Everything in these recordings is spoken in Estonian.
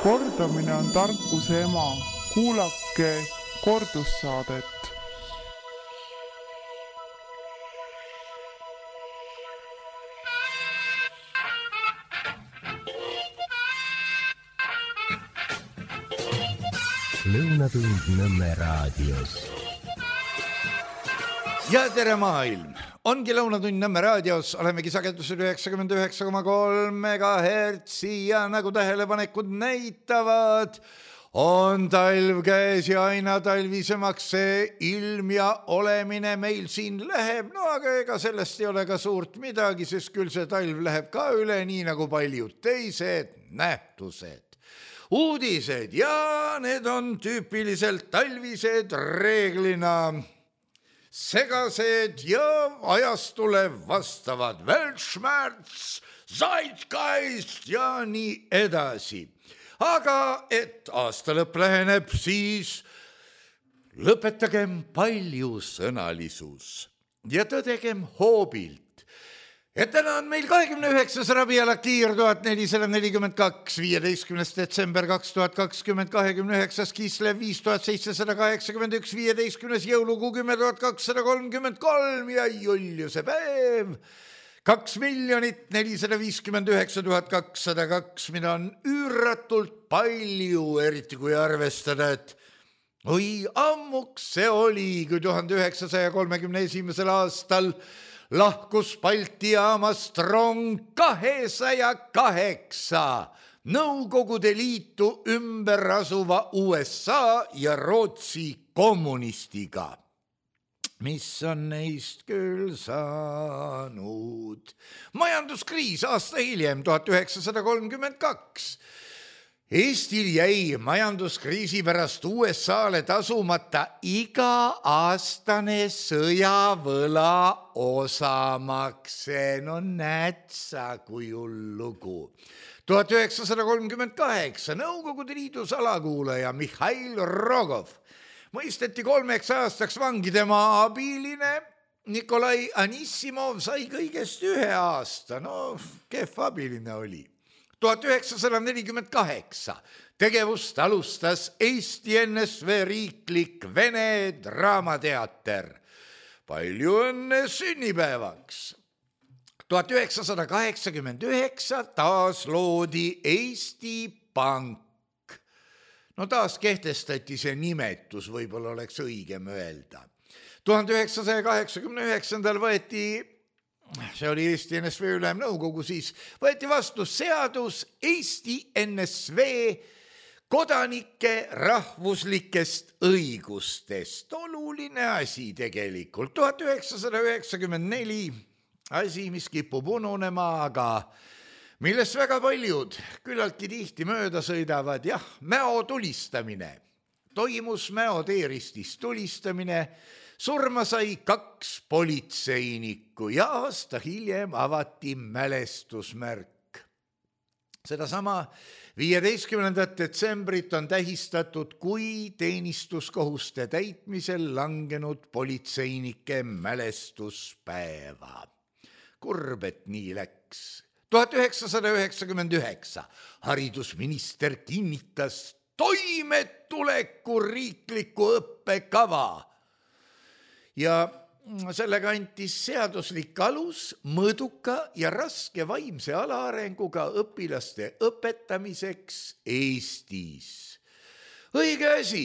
Kordamine on tarkuse ema. Kuulake kordussaadet. Lõunatund Nõmme raadios. Ja tere maailm! Ongi Lõunatund Nõmme raadios, olemegi sagedusel 99,3 MHz ja nagu tähelepanekud näitavad, on talv käes ja aina talvisemaks see ilm ja olemine meil siin läheb. No aga ega sellest ei ole ka suurt midagi, sest küll see talv läheb ka üle, nii nagu paljud teised nähtused. Uudised ja need on tüüpiliselt talvised, reeglina segased ja ajastule vastavad. Weltschmerz, Zeitgeist ja nii edasi. Aga et aasta lõpp läheneb, siis lõpetagem paljusõnalisus ja tõdegem hoobilt. Ja täna on meil 29. Rabiul Akhiir 1442, 15. detsember 2020, 29. Kislev 5781, 15. jõulukuu 10.233 ja Juliuse päev 2,459,202, mida on üüratult palju, eriti kui arvestada, et oi, ammuks see oli, kui 1931. aastal lahkus Balti jaamast rong 208 Nõukogude Liitu ümber asuva USA ja Rootsi kommunistiga. Mis on neist küll saanud? Majanduskriis aasta hiljem, 1932. Eestil jäi majanduskriisi pärast USAle tasumata iga-aastane sõjavõla osamakse. No näed sa, kui hullugu. 1938 Nõukogude Liidu salakuulaja Mihhail Rogov mõisteti 3 aastaks vangi. Tema abiline Nikolai Anissimov sai kõigest 1 aasta. No, kehv abiline oli. 1948 tegevust alustas Eesti NSV riiklik Vene draamateater. Palju õnne sünnipäevaks! 1989 taas loodi Eesti Pank. No taas kehtestati see nimetus, võib-olla oleks õigem öelda. 1989 võeti, see oli Eesti NSV ülemnõukogu, siis võeti vastu seadus Eesti NSV kodanike rahvuslikest õigustest. Oluline asi tegelikult. 1994 asi, mis kipub ununema, aga millest väga paljud küllaltki tihti mööda sõidavad. Jah, Mäo tulistamine. Toimus Mäo teeristis tulistamine. Surma sai 2 politseinikku ja aasta hiljem avati mälestusmärk. Sedasama 15. detsembrit on tähistatud kui teenistuskohuste täitmisel langenud politseinike mälestuspäeva. Kurb, et nii läks. 1999 haridusminister kinnitas toimetuleku riikliku õppekava. Ja sellega antis seaduslik alus mõõduka ja raske vaimse alaarenguga õpilaste õpetamiseks Eestis. Õige asi,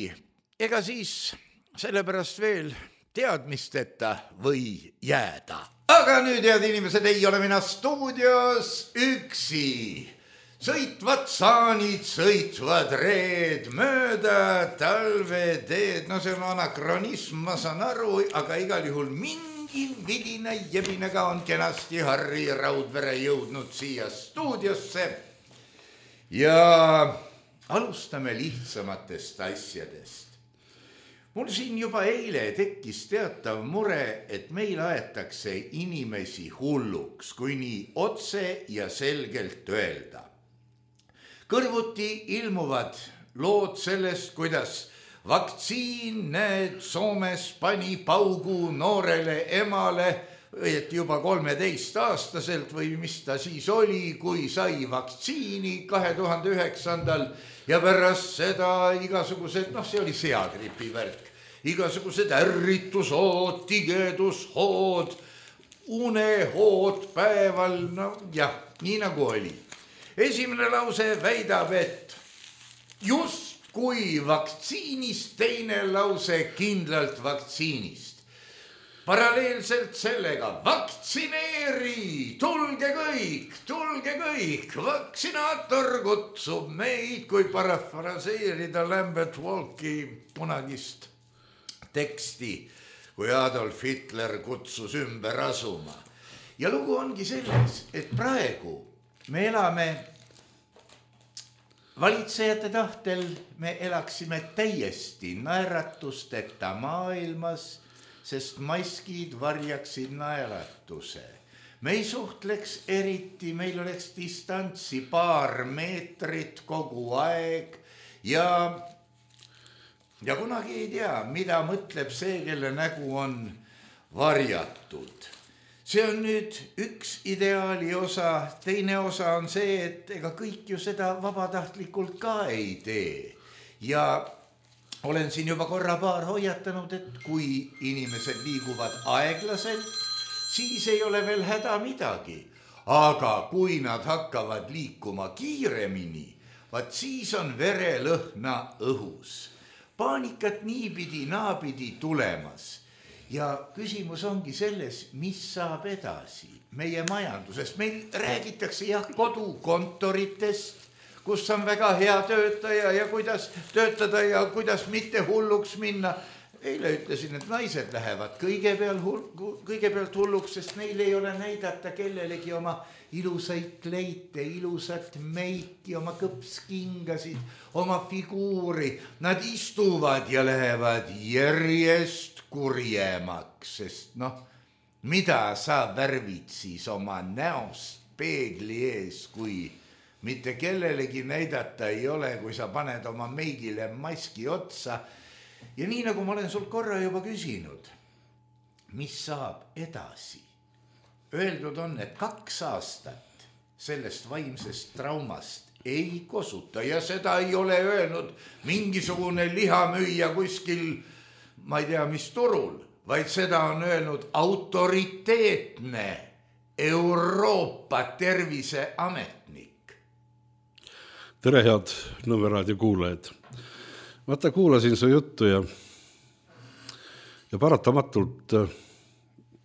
ega siis sellepärast veel teadmisteta või jääda. Aga nüüd, head inimesed, ei ole mina stuudios üksi. Sõitvad saanid, sõitvad reed mööda talveteed. No see on anakronism, ma saan aru, aga igal juhul mingi vidina jebinega on kenasti Harri Raudvere jõudnud siia stuudiosse. Ja alustame lihtsamatest asjadest. Mul siin juba eile tekkis teatav mure, et meil aetakse inimesi hulluks, kui nii otse ja selgelt öelda. Kõrvuti ilmuvad lood sellest, kuidas vaktsiin, need Soomes pani paugu noorele emale õieti juba 13-aastaselt või mis ta siis oli, kui sai vaktsiini 2009. Ja pärast seda igasugused, see oli seagripi värk, igasugused ärritushood, tigedushood, unehood päeval, nii nagu oli. Esimene lause väidab, et just kui vaktsiinist, teine lause kindlalt vaktsiinist. Paralleelselt sellega vaktsineeri, tulge kõik, vaksinaator kutsub meid, kui parafraseerida Lambert Walki kunagist teksti, kui Adolf Hitler kutsus ümber asuma. Ja lugu ongi selles, et praegu me elame valitsejate tahtel, me elaksime täiesti naeratusteta maailmas, sest maskid varjaksid naeratuse. Me ei suhtleks eriti, meil oleks distantsi 2 meetrit kogu aeg ja kunagi ei tea, mida mõtleb see, kelle nägu on varjatud. See on nüüd üks ideaali osa, teine osa on see, et ega kõik ju seda vabatahtlikult ka ei tee. Ja olen siin juba paar hoiatanud, et kui inimesed liiguvad aeglaselt, siis ei ole veel häda midagi. Aga kui nad hakkavad liikuma kiiremini, vaat siis on verelõhna õhus. Paanikat niipidi, naapidi tulemas. Ja küsimus ongi selles, mis saab edasi meie majandusest. Meil räägitakse kodukontoritest, kus on väga hea töötaja ja kuidas töötada ja kuidas mitte hulluks minna. Eile ütlesin, et naised lähevad kõigepealt hulluks, sest neil ei ole näidata kellelegi oma ilusaid kleite, ilusat meiki, oma kõpskingasid, oma figuuri. Nad istuvad ja lähevad järjest kurjemaks, sest mida sa värvid siis oma näost peegli ees, kui mitte kellelegi näidata ei ole, kui sa paned oma meigile maski otsa. Ja nii nagu ma olen sul korra juba küsinud, mis saab edasi? Öeldud on, et 2 aastat sellest vaimsest traumast ei kosuta ja seda ei ole öelnud mingisugune lihamüüja kuskil, ma ei tea mis turul, vaid seda on öelnud autoriteetne Euroopa Terviseametnik. Tere, head Nõmme raadio kuulajad. Vaata, kuulasin su juttu ja paratamatult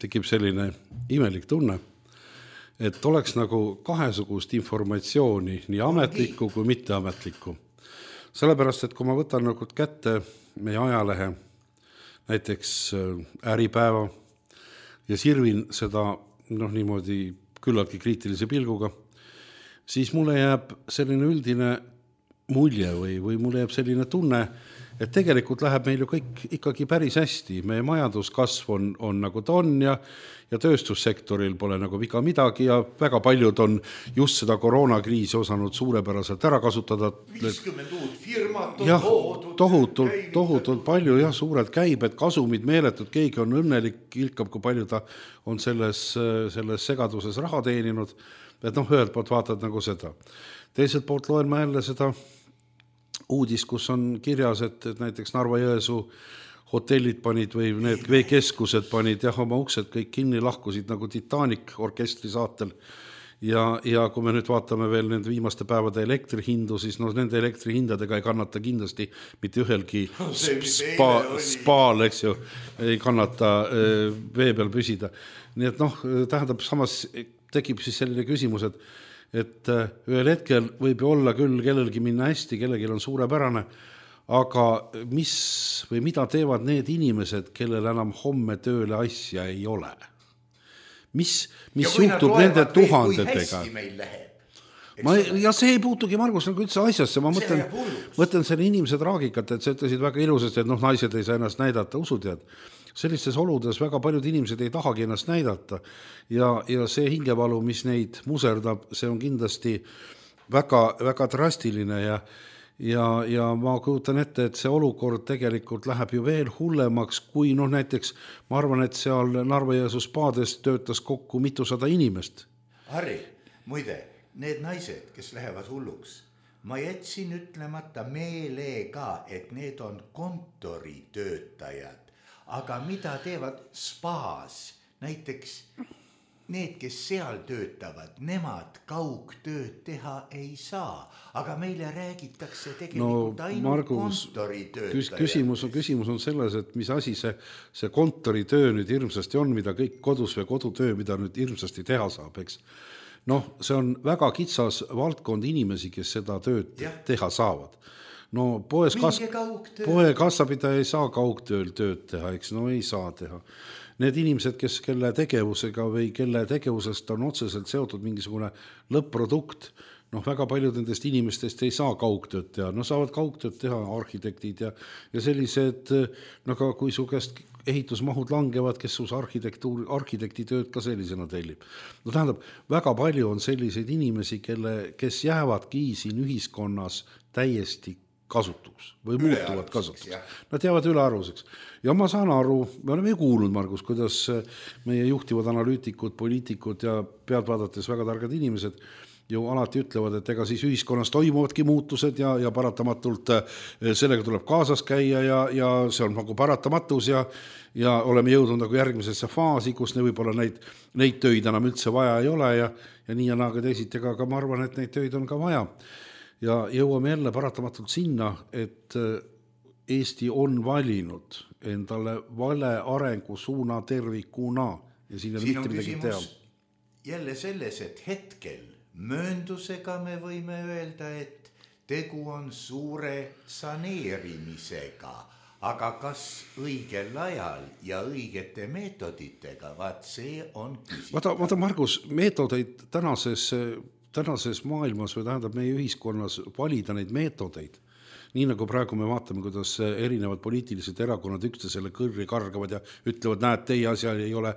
tekib selline imelik tunne, et oleks nagu kahesugust informatsiooni, nii ametlikku kui mitteametlikku. Sellepärast, et kui ma võtan nagu kätte meie ajalehe, näiteks Äripäeva ja sirvin seda niimoodi küllaltki kriitilise pilguga, siis mulle jääb selline üldine mulje või mulle jääb selline tunne, et tegelikult läheb meil ju kõik ikkagi päris hästi. Meie majanduskasv on nagu ta on ja tööstussektoril pole nagu viga midagi ja väga paljud on just seda koroonakriisi osanud suurepäraselt ära kasutada. 50 uut firmat on tohutult palju ja suured käibed, kasumid meeletud, keegi on õnnelik, ilkab, kui palju ta on selles segaduses raha teeninud. Et ühelt poolt vaatad nagu seda. Teiselt poolt loen ma jälle seda uudis, kus on kirjas, et näiteks Narva-Jõesuu hotellid panid või need veekeskused panid oma uksed kõik kinni, lahkusid nagu Titanic orkestri saatel. Ja kui me nüüd vaatame veel nende viimaste päevade elektrihindu, siis nende elektrihindadega ei kannata kindlasti mitte ühelgi spaal, eks ju, ei kannata vee peal püsida. Nii et tähendab, samas tekib siis selline küsimus, et ühel hetkel võib ju olla küll kellelgi minna hästi, kellelgi on suurepärane, aga mida teevad need inimesed, kellel enam homme tööle asja ei ole? Mis juhtub nende tuhandetega? Ja see ei puutugi, Margus, nagu üldse asjasse. Ma mõtlen selle inimese traagikat, et sa ütlesid väga ilusasti, et naised ei saa ennast näidata, usutead. Sellistes oludes väga paljud inimesed ei tahagi ennast näidata ja see hingevalu, mis neid muserdab, see on kindlasti väga, väga drastiline ja ma kujutan ette, et see olukord tegelikult läheb ju veel hullemaks, kui näiteks ma arvan, et seal Narva-Jõesuu spaades töötas kokku mitusada inimest. Harri, muide, need naised, kes lähevad hulluks, ma jätsin ütlemata meelega, et need on kontoritöötajad, aga mida teevad spaas, näiteks need, kes seal töötavad, nemad kaugtööd teha ei saa, aga meile räägitakse tegelikult ainult kontoritöötajad. Küsimus on selles, et mis asi see kontoritöö nüüd hirmsasti on, mida kõik kodus või kodutöö, mida nüüd hirmsasti teha saab, eks. See on väga kitsas valdkond inimesi, kes seda tööd teha saavad. Poes kassapidaja ei saa kaugtööl tööd teha, eks, ei saa teha. Need inimesed, kelle tegevusega või kelle tegevusest on otseselt seotud mingisugune lõpp-produkt, väga paljud nendest inimestest ei saa kaugtööd teha, saavad kaugtööd teha arhitektid ja sellised, kui su käest ehitusmahud langevad, kes sus arhitektitööd ka sellisena tellib. Tähendab, väga palju on selliseid inimesi, kes jäävadki siin ühiskonnas täiesti kasutuks või muutuvad kasutuks. Nad jäävad ülearvuseks. Ja ma saan aru, me oleme ju kuulnud, Margus, kuidas meie juhtivad analüütikud, poliitikud ja pealt vaadates väga targad inimesed ju alati ütlevad, et ega siis ühiskonnas toimuvadki muutused ja paratamatult sellega tuleb kaasas käia ja see on nagu paratamatus ja oleme jõudnud nagu järgmisesse faasi, kus võib-olla neid töid enam üldse vaja ei ole ja nii ja naaga teisiti, aga ma arvan, et neid töid on ka vaja. Ja jõuame jälle paratamatult sinna, et Eesti on valinud endale vale arengusuuna tervikuna ja siin on mitte midagi teha. Jälle selles, et hetkel mööndusega me võime öelda, et tegu on suure saneerimisega, aga kas õigel ajal ja õigete meetoditega, vaat see on küsimus. Vaata, Margus, meetodeid tänases maailmas või tähendab meie ühiskonnas valida neid meetodeid. Nii nagu praegu me vaatame, kuidas erinevad poliitilised erakonnad üksteisele kõrri kargavad ja ütlevad, näed, teie asja ei ole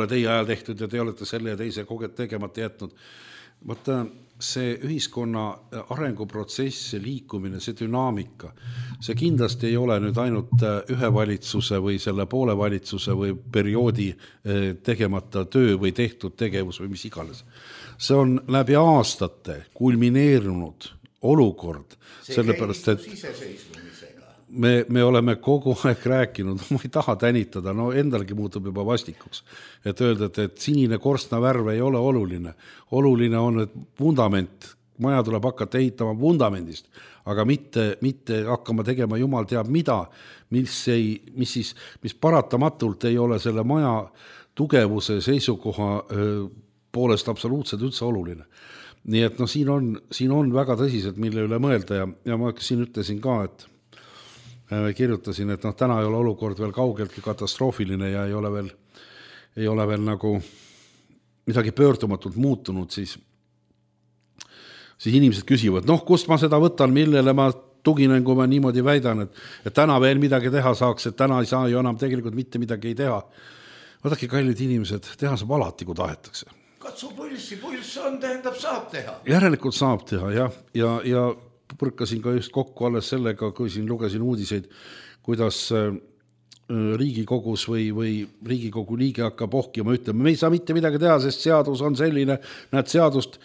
teie ajal tehtud ja te olete selle ja teise tegemata jätnud. Vaata, see ühiskonna arenguprotsess, see liikumine, see dünaamika, see kindlasti ei ole nüüd ainult ühe valitsuse või selle poole valitsuse või perioodi tegemata töö või tehtud tegevus või mis iganes. See on läbi aastate kulmineerunud olukord, sellepärast, et me oleme kogu aeg rääkinud, ma ei taha tänitada, endalgi muutub juba vastikuks, et öelda, et sinine korstna värv ei ole oluline. Oluline on, et vundament, maja tuleb hakata ehitama vundamendist, aga mitte hakkama tegema jumal teab mida, mis paratamatult ei ole selle maja tugevuse seisukoha poolest absoluutselt üldse oluline. Nii et siin on väga tõsiselt, mille üle mõelda ja ma siin ütlesin ka, et kirjutasin, et täna ei ole olukord veel kaugeltki katastroofiline ja ei ole veel nagu midagi pöördumatult muutunud, siis inimesed küsivad, kust ma seda võtan, millele ma tuginen, kui ma niimoodi väidan, et täna veel midagi teha saaks, et täna ei saa ju enam tegelikult mitte midagi ei teha. Vaadake, kallid inimesed, teha saab alati, kui tahetakse. Katsu pulss on, tähendab, saab teha. Järelikult saab teha, jah. Ja põrkasin ka just kokku alles sellega, kui siin lugesin uudiseid, kuidas Riigikogus või Riigikogu liige hakkab ohkima, ütlema, me ei saa mitte midagi teha, sest seadus on selline, näed seadust,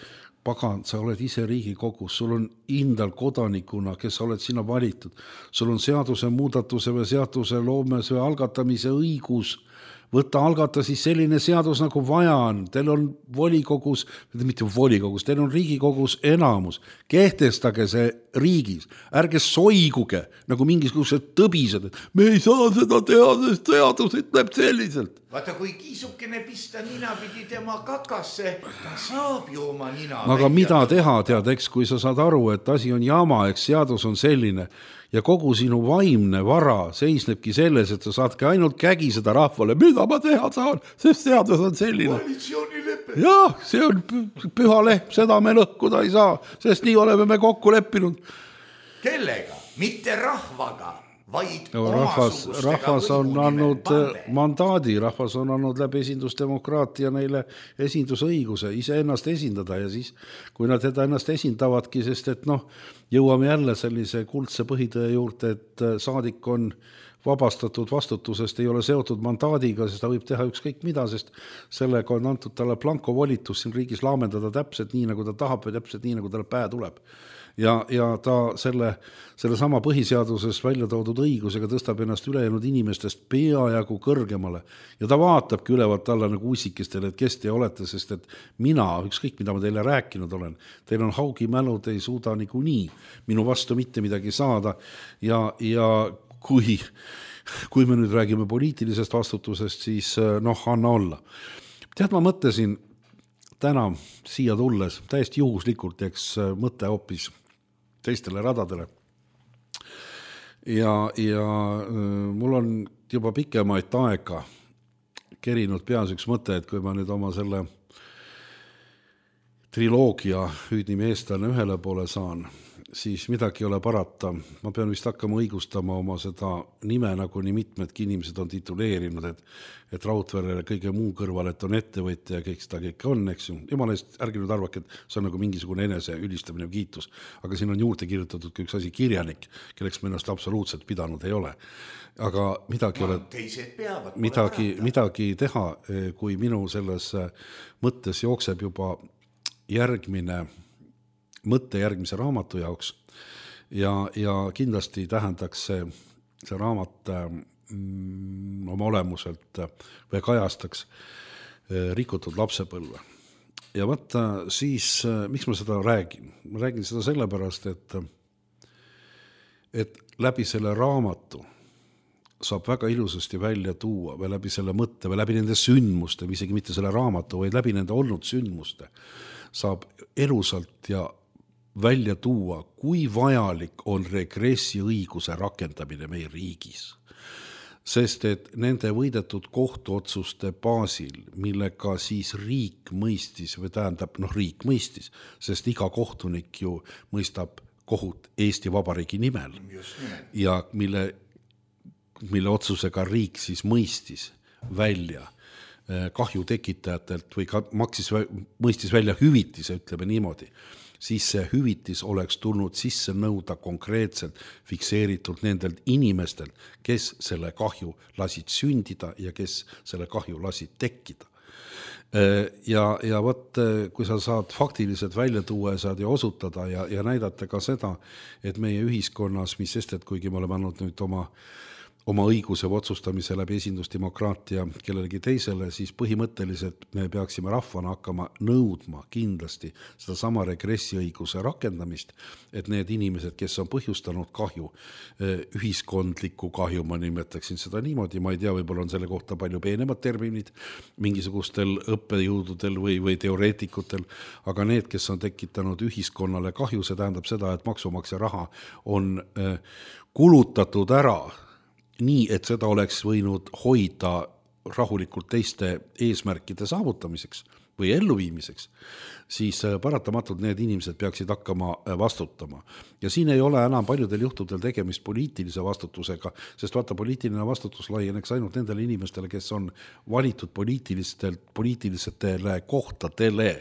pagan, sa oled ise Riigikogus, sul on indal kodanikuna, kes oled sinna valitud, sul on seaduse muudatuse või seaduse loomes või algatamise õigus, võtta algata siis selline seadus nagu vaja on, teil on volikogus, mitte volikogus, teil on Riigikogus enamus, kehtestage see riigis, ärge soiguge nagu mingisugused tõbised, et me ei saa seda teha, sest seadus ütleb selliselt. Vaata, kui kiisukene pista nina pidi tema kakasse, ta saab ju oma nina. Aga mida teha, tead, eks, kui sa saad aru, et asi on jama, eks seadus on selline ja kogu sinu vaimne vara seisnebki selles, et sa saadki ainult kägiseda rahvale, mida ma teha saan, sest seadus on selline. Koalitsioonilepe. Jah, see on püha lehm, seda me lõhkuda ei saa, sest nii oleme me kokku leppinud. Kellega? Mitte rahvaga, vaid rahvas on andnud mandaadi, rahvas on andnud läbi esindusdemokraatia neile esindusõiguse iseennast esindada ja siis, kui nad teda ennast esindavadki, sest et jõuame jälle sellise kuldse põhitõe juurde, et saadik on vabastatud vastutusest, ei ole seotud mandaadiga, sest ta võib teha ükskõik mida, sest sellega on antud talle blanko volitus siin riigis laamendada täpselt nii, nagu ta tahab või täpselt nii, nagu talle pähe tuleb. Ja ta selle sama põhiseaduses välja toodud õigusega tõstab ennast ülejäänud inimestest peajagu kõrgemale ja ta vaatabki ülevalt alla nagu usikestele, et kes te olete, sest et mina, ükskõik mida ma teile rääkinud olen, teil on haugi mälu, te ei suuda nii minu vastu mitte midagi saada ja kui me nüüd räägime poliitilisest vastutusest, siis anna olla. Tead, ma mõtlesin täna siia tulles, täiesti juhuslikult eks mõte hoopis teistele radadele. Ja mul on juba pikemaid aega kerinud peas üks mõte, et kui ma nüüd oma selle triloogia hüüdnimi eestlane ühele poole saan, siis midagi ei ole parata. Ma pean vist hakkama õigustama oma seda nime, nagu nii mitmedki inimesed on tituleerinud, et Raudverele kõige muu kõrval, et on ettevõtja ja kõik seda kõik on, eks ju. Jumala eest, ärge nüüd arvake, et see on nagu mingisugune enese ülistamine või kiitus, aga siin on juurde kirjutatud ka üks asi kirjanik, kelleks me ennast absoluutselt pidanud ei ole. Aga midagi teha, kui minu selles mõttes jookseb juba mõtte järgmise raamatu jaoks ja kindlasti tähendaks see raamat oma olemuselt või kajastaks rikutud lapsepõlve. Ja vaata siis, miks ma seda räägin? Ma räägin seda sellepärast, et läbi selle raamatu saab väga ilusasti välja tuua või läbi selle mõtte või läbi nende sündmuste, isegi mitte selle raamatu, vaid läbi nende olnud sündmuste saab elusalt ja välja tuua, kui vajalik on regressiõiguse rakendamine meie riigis. Sest et nende võidetud kohtuotsuste baasil, millega siis riik mõistis, või tähendab, riik mõistis, sest iga kohtunik ju mõistab kohut Eesti Vabariigi nimel ja mille otsusega riik siis mõistis välja kahju tekitajatelt või mõistis välja hüvitise, ütleme niimoodi, siis see hüvitis oleks tulnud sisse nõuda konkreetselt fikseeritud nendelt inimestelt, kes selle kahju lasid sündida ja kes selle kahju lasid tekkida. Ja võt, kui sa saad faktiliselt välja tuua ja saad ja osutada ja näidata ka seda, et meie ühiskonnas, mis sest, et kuigi me oleme andnud nüüd oma õiguse otsustamise läbi esindusdemokraatia kellelegi teisele, siis põhimõtteliselt me peaksime rahvana hakkama nõudma kindlasti seda sama regressiõiguse rakendamist, et need inimesed, kes on põhjustanud kahju, ühiskondliku kahju, ma nimetaksin seda niimoodi, ma ei tea, võib-olla on selle kohta palju peenemad terminid mingisugustel õppejõududel või teoreetikutel, aga need, kes on tekitanud ühiskonnale kahju, see tähendab seda, et maksumaksja raha on kulutatud ära nii, et seda oleks võinud hoida rahulikult teiste eesmärkide saavutamiseks või elluviimiseks, siis paratamatult need inimesed peaksid hakkama vastutama. Ja siin ei ole enam paljudel juhtudel tegemist poliitilise vastutusega, sest vaata, poliitiline vastutus laieneks ainult nendele inimestele, kes on valitud poliitilistele kohtadele.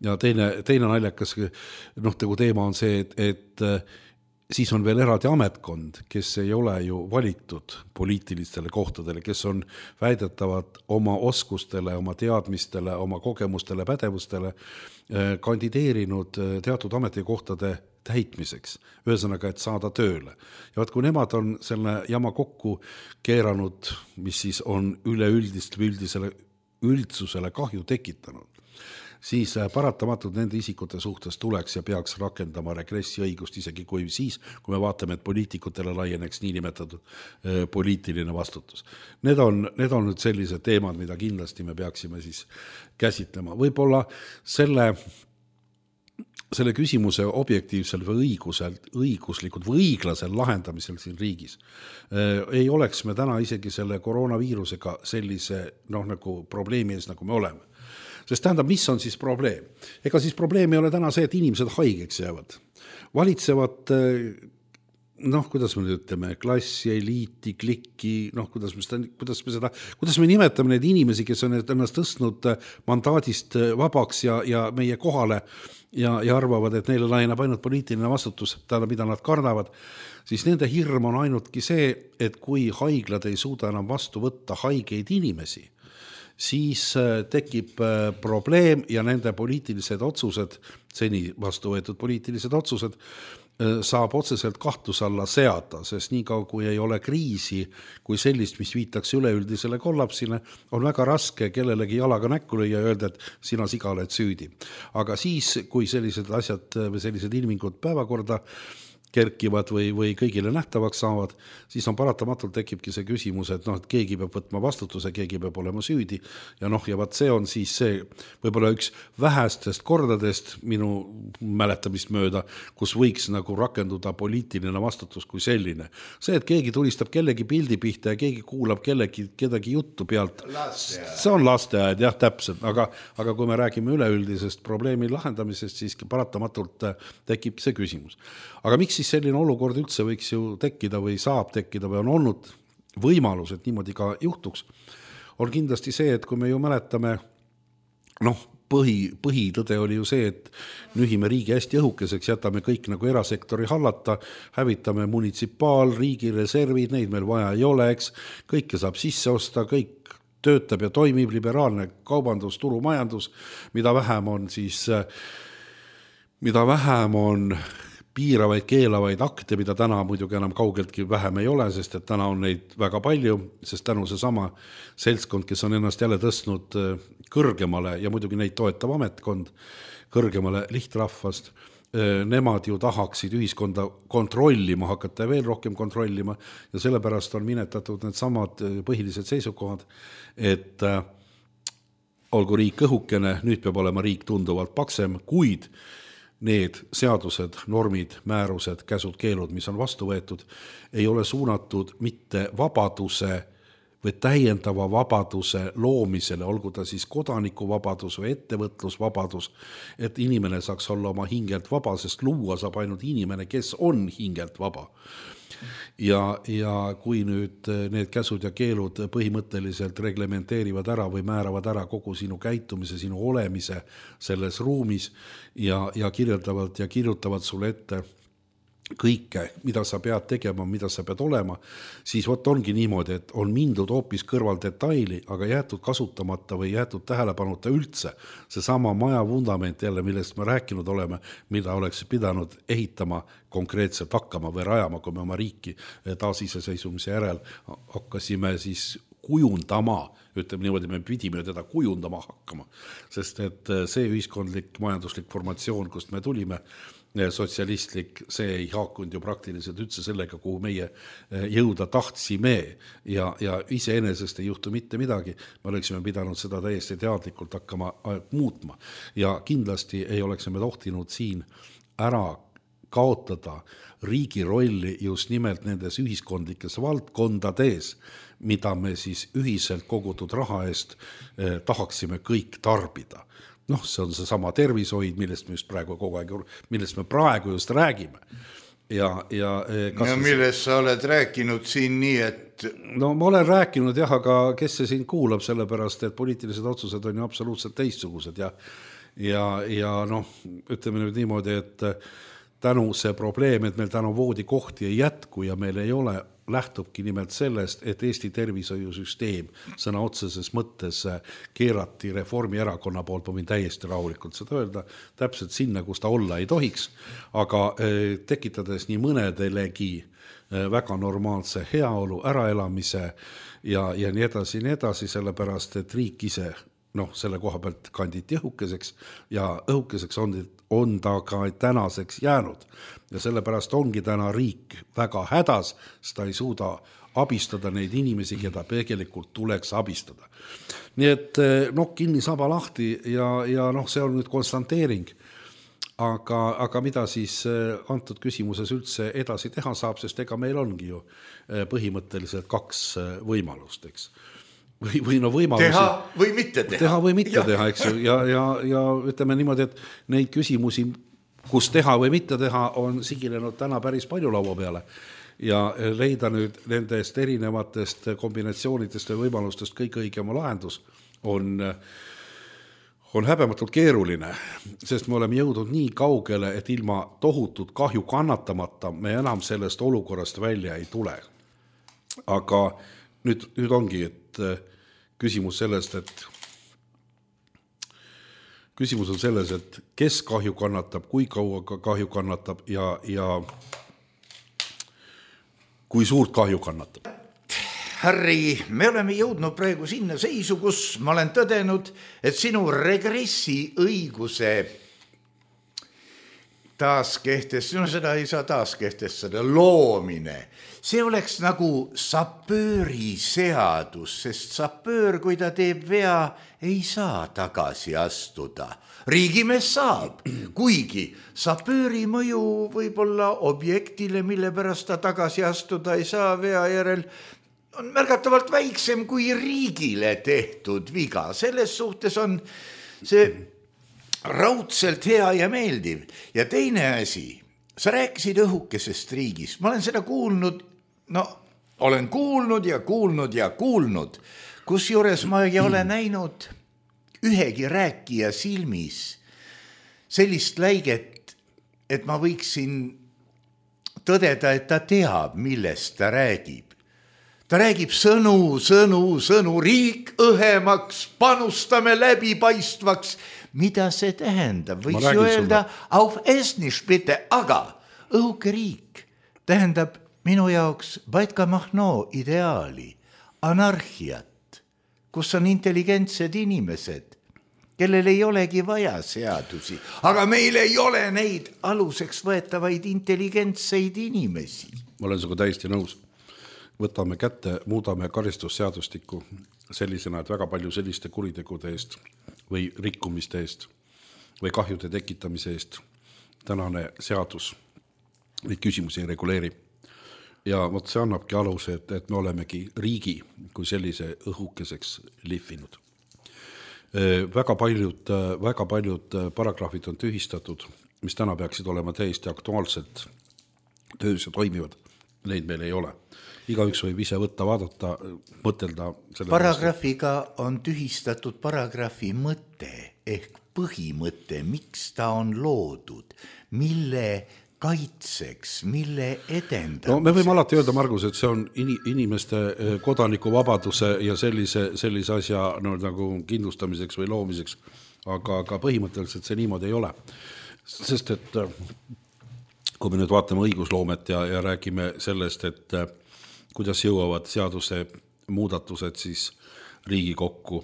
Ja teine naljakas teema on see, et siis on veel eraldi ametkond, kes ei ole ju valitud poliitilistele kohtadele, kes on väidetavad oma oskustele, oma teadmistele, oma kogemustele, pädevustele kandideerinud teatud ametikohtade täitmiseks, ühesõnaga, et saada tööle. Ja vaat, kui nemad on selle jama kokku keeranud, mis siis on üldsusele kahju tekitanud, siis paratamatult nende isikute suhtes tuleks ja peaks rakendama regressiõigust, isegi kui siis, kui me vaatame, et poliitikutele laieneks niinimetatud poliitiline vastutus. Need on nüüd sellised teemad, mida kindlasti me peaksime siis käsitlema. Võib-olla selle küsimuse objektiivsel või õiguslikult või õiglasel lahendamisel siin riigis ei oleks me täna isegi selle koroonaviirusega sellise nagu probleemi ees, nagu me oleme. Sest tähendab, mis on siis probleem? Ega siis probleem ei ole täna see, et inimesed haigeks jäävad. Valitsevad kuidas me nüüd ütleme, klassi, eliiti, klikki, kuidas me nimetame neid inimesi, kes on ennast tõstnud mandaadist vabaks ja meie kohale ja arvavad, et neile laieneb ainult poliitiline vastutus, mida nad kardavad, siis nende hirm on ainultki see, et kui haiglad ei suuda enam vastu võtta haigeid inimesi, siis tekib probleem ja nende poliitilised otsused, seni vastu võetud poliitilised otsused, saab otseselt kahtluse alla seada, sest niikaua kui ei ole kriisi kui sellist, mis viitaks üleüldisele kollapsile, on väga raske kellelegi jalaga näkku lüüa ja öelda, et sina siga oled süüdi. Aga siis, kui sellised asjad või sellised ilmingud päevakorda kerkivad või kõigile nähtavaks saavad, siis on paratamatult tekibki see küsimus, et keegi peab võtma vastutuse, keegi peab olema süüdi ja vaat see on siis see võib-olla üks vähestest kordadest minu mäletamist mööda, kus võiks nagu rakenduda poliitiline vastutus kui selline. See, et keegi tulistab kellegi pildi pihta ja keegi kuulab kedagi juttu pealt, see on lasteaed, jah, täpselt, aga kui me räägime üleüldisest probleemi lahendamisest, siis paratamatult tekib see küsimus. Aga miks siis selline olukord üldse võiks ju tekkida või saab tekkida või on olnud võimalus, et niimoodi ka juhtuks, on kindlasti see, et kui me ju mäletame, põhitõde oli ju see, et nühime riigi hästi õhukeseks, jätame kõik nagu erasektori hallata, hävitame munitsipaal, riigi reservid, neid meil vaja ei ole, eks, kõike saab sisse osta, kõik töötab ja toimib liberaalne kaubandus, turumajandus, mida vähem on piiravaid, keelavaid akte, mida täna muidugi enam kaugeltki vähem ei ole, sest et täna on neid väga palju, sest tänu see sama seltskond, kes on ennast jälle tõstnud kõrgemale ja muidugi neid toetav ametkond kõrgemale lihtrahvast, nemad ju tahaksid ühiskonda kontrollima hakata ja veel rohkem kontrollima ja sellepärast on minetatud need samad põhilised seisukohad, et olgu riik õhukene, nüüd peab olema riik tunduvalt paksem, kuid need seadused, normid, määrused, käsud, keelud, mis on vastu võetud, ei ole suunatud mitte vabaduse või täiendava vabaduse loomisele, olgu ta siis kodanikuvabadus või ettevõtlusvabadus, et inimene saaks olla oma hingelt vaba, sest luua saab ainult inimene, kes on hingelt vaba. Ja kui nüüd need käsud ja keelud põhimõtteliselt reglementeerivad ära või määravad ära kogu sinu käitumise, sinu olemise selles ruumis ja kirjeldavad ja kirjutavad sulle ette kõike, mida sa pead tegema, mida sa pead olema, siis ongi niimoodi, et on mindud hoopis kõrval detaili, aga jäetud kasutamata või jäetud tähelepanuta üldse seesama maja vundament jälle, millest me rääkinud oleme, mida oleks pidanud ehitama konkreetselt hakkama või rajama, kui me oma riiki taasiseseisvumise järel hakkasime siis kujundama, ütleme niimoodi, me pidime teda kujundama hakkama, sest et see ühiskondlik majanduslik formatsioon, kust me tulime, sotsialistlik, see ei haakunud ju praktiliselt üldse sellega, kuhu meie jõuda tahtsime ja iseenesest ei juhtu mitte midagi, me oleksime pidanud seda täiesti teadlikult hakkama muutma ja kindlasti ei oleksime tohtinud siin ära kaotada riigi rolli just nimelt nendes ühiskondlikes valdkondades, mida me siis ühiselt kogutud raha eest tahaksime kõik tarbida. See on see sama tervishoid, millest me praegu just räägime. Ja millest sa oled rääkinud siin nii, et... ma olen rääkinud jah, aga kes see siin kuulab, sellepärast, et poliitilised otsused on ju absoluutselt teistsugused ja ütleme nüüd niimoodi, et tänu see probleem, et meil tänu voodikohti ei jätku ja meil ei ole, lähtubki nimelt sellest, et Eesti tervishoiusüsteem sõna otseses mõttes keerati Reformierakonna poolt, ma võin täiesti rahulikult seda öelda, täpselt sinna, kus ta olla ei tohiks, aga tekitades nii mõnedelegi väga normaalse heaolu, äraelamise ja nii edasi, sellepärast, et riik ise selle koha pealt kanditi õhukeseks ja õhukeseks on ta ka tänaseks jäänud. Ja sellepärast ongi täna riik väga hädas, sest ta ei suuda abistada neid inimesi, keda tegelikult tuleks abistada. Nii et kinni saba lahti ja see on nüüd konstanteering. Aga mida siis antud küsimuses üldse edasi teha saab, sest ega meil ongi ju põhimõtteliselt kaks võimalust, eks. Või võimalusi. Teha või mitte teha. Teha või mitte teha, eks ju. Ja ütleme niimoodi, et neid küsimusi kus teha või mitte teha, on siginenud täna päris palju laua peale ja leida nüüd nendest erinevatest kombinatsioonidest ja võimalustest kõik õigema lahendus on häbematult keeruline, sest me oleme jõudnud nii kaugele, et ilma tohutut kahju kannatamata me enam sellest olukorrast välja ei tule. Aga nüüd ongi, et küsimus on selles, et kes kahju kannatab, kui kaua kahju kannatab ja kui suurt kahju kannatab. Harri, me oleme jõudnud praegu sinna seisu, kus ma olen tõdenud, et sinu regressi õiguse taaskehtestada, seda ei saa taaskehtestada, loomine, see oleks nagu sapööri seadus, sest sapöör, kui ta teeb vea, ei saa tagasi astuda. Riigimees saab, kuigi sapööri mõju võib-olla objektile, mille pärast ta tagasi astuda ei saa vea järel, on märgatavalt väiksem kui riigile tehtud viga. Selles suhtes on see raudselt hea ja meeldiv. Ja teine asi, sa rääkisid õhukesest riigist. Ma olen seda kuulnud, olen kuulnud ja kuulnud, kusjuures ma ei ole näinud ühegi rääkija silmis sellist läiget, et ma võiksin tõdeda, et ta teab, millest ta räägib. Ta räägib sõnu, riik õhemaks, panustame läbipaistvaks. Mida see tähendab? Võiks ju öelda, auf Estnisch bitte, aga õhuke riik tähendab minu jaoks Batka Mahno ideaali, anarhiat, kus on intelligentsed inimesed, kellel ei olegi vaja seadusi, aga meil ei ole neid aluseks võetavaid intelligentseid inimesi. Ma olen sinuga täiesti nõus. Võtame kätte, muudame karistusseadustikku sellisena, et väga palju selliste kuritegude eest või rikkumiste eest või kahjude tekitamise eest tänane seadus neid küsimusi ei reguleeri. Ja see annabki aluse, et me olemegi riigi kui sellise õhukeseks lihvinud. Väga paljud paragrahvid on tühistatud, mis täna peaksid olema täiesti aktuaalselt töös ja toimivad. Neid meil ei ole. Igaüks võib ise võtta, vaadata, mõtelda. Paragrahviga on tühistatud paragrahvi mõte ehk põhimõte, miks ta on loodud, mille kaitseks, mille edendamiseks. No me võime alati öelda, Margus, et see on inimeste kodanikuvabaduse ja sellise asja nagu kindlustamiseks või loomiseks, aga põhimõtteliselt see niimoodi ei ole. Sest et kui me nüüd vaatame õigusloomet ja räägime sellest, et kuidas jõuavad seaduse muudatused siis Riigikokku,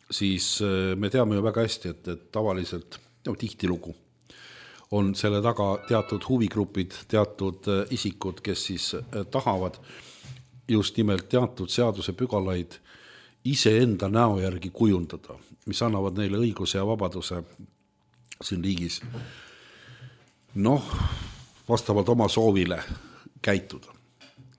siis me teame ju väga hästi, et tavaliselt tihtilugu on selle taga teatud huvigrupid, teatud isikud, kes siis tahavad just nimelt teatud seaduse pügalaid iseenda näo järgi kujundada, mis annavad neile õiguse ja vabaduse siin riigis vastavalt oma soovile käituda.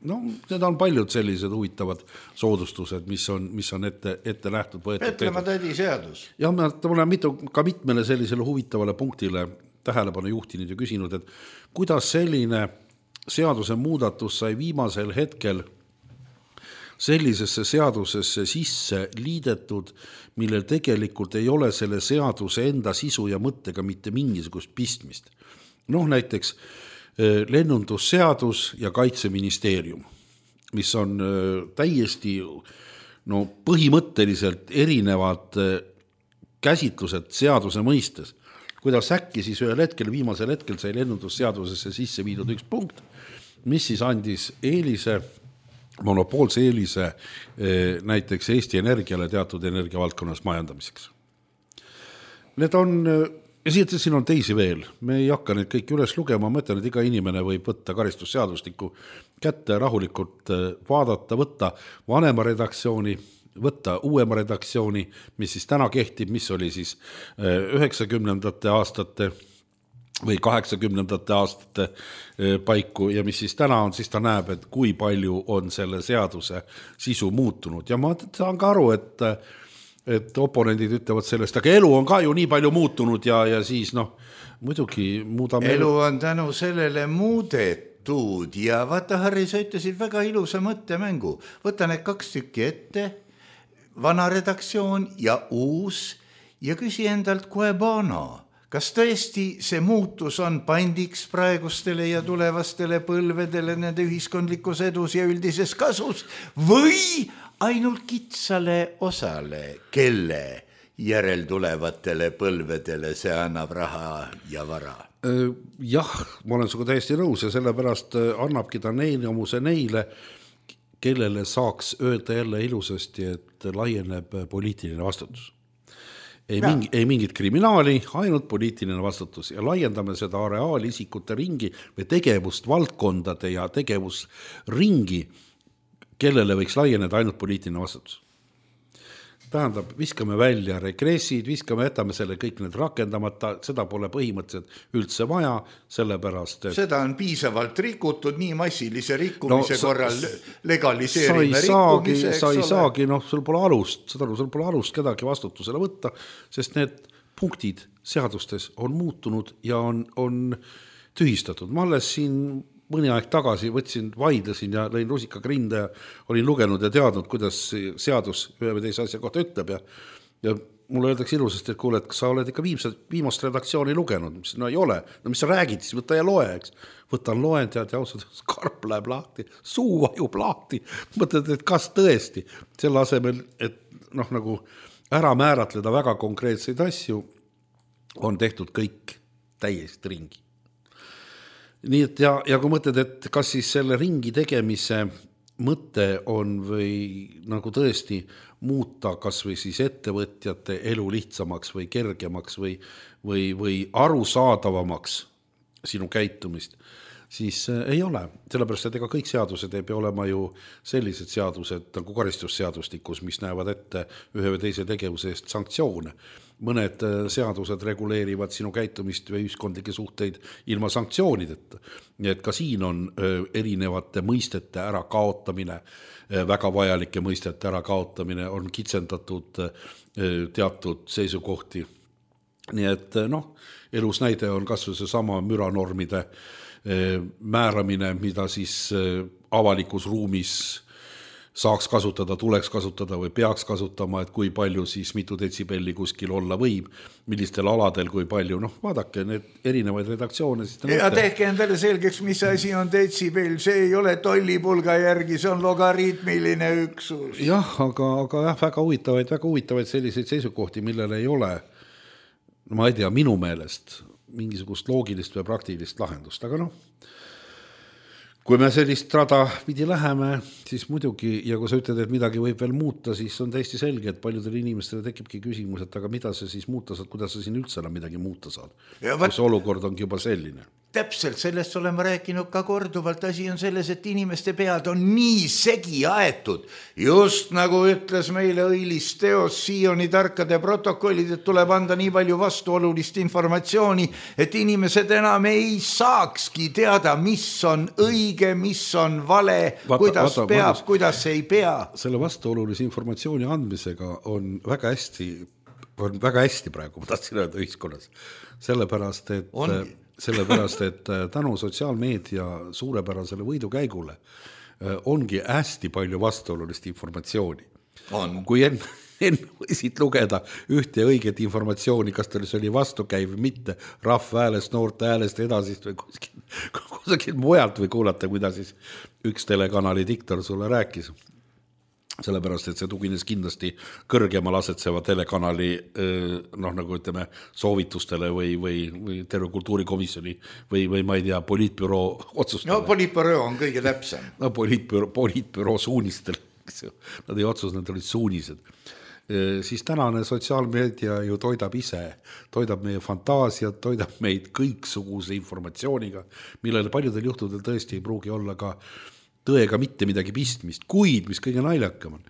Need on paljud sellised huvitavad soodustused, mis on ette nähtud. Petlemaa tädi seadus. Ja ma olen ka mitmele sellisele huvitavale punktile tähelepanu juhtinud ja küsinud, et kuidas selline seaduse muudatus sai viimasel hetkel sellisesse seadusesse sisse liidetud, millel tegelikult ei ole selle seaduse enda sisu ja mõttega mitte mingisugust pistmist. Näiteks lennundusseadus ja kaitseministeerium, mis on täiesti põhimõtteliselt erinevad käsitlused seaduse mõistes. Kuidas äkki siis viimasel hetkel sai lennundusseadusesse sisse viidud üks punkt, mis siis andis monopoolse eelise näiteks Eesti Energiale teatud energiavaldkonnas majandamiseks. Need on ja siin on teisi veel, me ei hakka neid kõik üles lugema, ma mõtlen, et iga inimene võib võtta karistusseadustikku kätte rahulikult vaadata, võtta vanema redaktsiooni, võtta uuema redaktsiooni, mis siis täna kehtib, mis oli siis 90. aastate või 80. aastate paiku ja mis siis täna on, siis ta näeb, et kui palju on selle seaduse sisu muutunud. Ja ma saan ka aru, et oponendid ütlevad sellest, aga elu on ka ju nii palju muutunud ja siis muidugi muudame. Elu on tänu sellele muudetud ja vaata, Harri, sa ütlesid väga ilusa mõttemängu. Võta need 2 tükki ette, vana redaktsioon ja uus ja küsi endalt Quebana. Kas tõesti see muutus on pandiks praegustele ja tulevastele põlvedele nende ühiskondlikus edus ja üldises kasus või ainult kitsale osale, kelle järeltulevatele põlvedele see annab raha ja vara? Jah, ma olen sinuga täiesti nõus ja sellepärast annabki ta neile, kellele saaks öelda jälle ilusasti, et laieneb poliitiline vastutus. Ei mingit kriminaali, ainult poliitiline vastutus ja laiendame seda areaalisikute ringi või tegevust valdkondade ja tegevusringi, kellele võiks laieneda ainult poliitiline vastutus. Tähendab, viskame välja regressid, jätame selle kõik need rakendamata, seda pole põhimõtteliselt üldse vaja, sellepärast, et seda on piisavalt rikutud, nii massilise rikkumise korral legaliseerime rikkumise, sa ei saagi, sul pole alust kedagi vastutusele võtta, sest need punktid seadustes on muutunud ja on tühistatud. Ma alles siin mõni aeg tagasi vaidlesin ja lõin rusikaga rinde ja olin lugenud ja teadnud, kuidas seadus ühe või teise asja kohta ütleb ja mulle öeldakse ilusasti, et kuule, et kas sa oled ikka viimast redaktsiooni lugenud, mis ei ole, mis sa räägid, siis võta ja loe, eks. Võtan loen, tead, ja ausalt, karp läheb lahti, suu vajub lahti, mõtled, et kas tõesti selle asemel, et nagu ära määratleda väga konkreetseid asju, on tehtud kõik täiesti ringi. Nii et ja kui mõtled, et kas siis selle ringi tegemise mõte on või nagu tõesti muuta kas või siis ettevõtjate elu lihtsamaks või kergemaks või arusaadavamaks sinu käitumist, siis ei ole. Sellepärast, et ega kõik seadused ei pea olema ju sellised seadused nagu karistusseadustikus, mis näevad ette ühe või teise tegevuse eest sanktsioone. Mõned seadused reguleerivad sinu käitumist või ühiskondlikke suhteid ilma sanktsioonideta. Nii et ka siin on erinevate mõistete ära kaotamine, väga vajalike mõistete ära kaotamine, on kitsendatud teatud seisukohti. Nii et elus näide on kas või see sama müranormide määramine, mida siis avalikus ruumis saaks kasutada, tuleks kasutada või peaks kasutama, et kui palju siis mitu detsibelli kuskil olla võib, millistel aladel, kui palju, vaadake need erinevaid redaktsioone. Ja tehke endale selgeks, mis asi on detsibell, see ei ole tollipulga järgi, see on logaritmiline üksus. Jah, aga väga huvitavaid selliseid seisukohti, millele ei ole, ma ei tea, minu meelest mingisugust loogilist või praktilist lahendust, aga kui me sellist rada pidi läheme, siis muidugi, ja kui sa ütled, et midagi võib veel muuta, siis on täiesti selge, et paljudele inimestele tekibki küsimus, et aga mida sa siis muuta saad, kuidas sa siin üldse enam midagi muuta saad. Kus olukord ongi juba selline. Täpselt, sellest olen ma rääkinud ka korduvalt. Asi on selles, et inimeste pead on nii segi aetud. Just nagu ütles meile õilis teos Sioni tarkade protokollid, et tuleb anda nii palju vastuolulist informatsiooni, et inimesed enam ei saakski teada, mis on õige, mis on vale, kuidas peab, kuidas ei pea. Selle vastuolulise informatsiooni andmisega on väga hästi praegu, ma tahtsin öelda ühiskonnas. Sellepärast, et tänu sotsiaalmeedia suurepärasele võidukäigule ongi hästi palju vastuolulist informatsiooni. Kui enne võisid lugeda ühte õiget informatsiooni, kas tal see oli vastukäiv või mitte, rahva häälest, noorte häälest edasist või kuskil mujalt või kuulata, kuidas siis üks telekanali diktor sulle rääkis. Sellepärast, et see tugines kindlasti kõrgemal asetseva telekanali nagu ütleme soovitustele või terve kultuurikomisjoni või ma ei tea, poliitbüroo otsustele. Poliitbüroo on kõige täpsem. Poliitbüroo suunistel. Nad ei otsus, nad olid suunised. Siis tänane sotsiaalmeedia ju toidab meie fantaasiat, toidab meid kõiksuguse informatsiooniga, millele paljudel juhtudel tõesti ei pruugi olla ka tõega mitte midagi pistmist, kuid mis kõige naljakam on,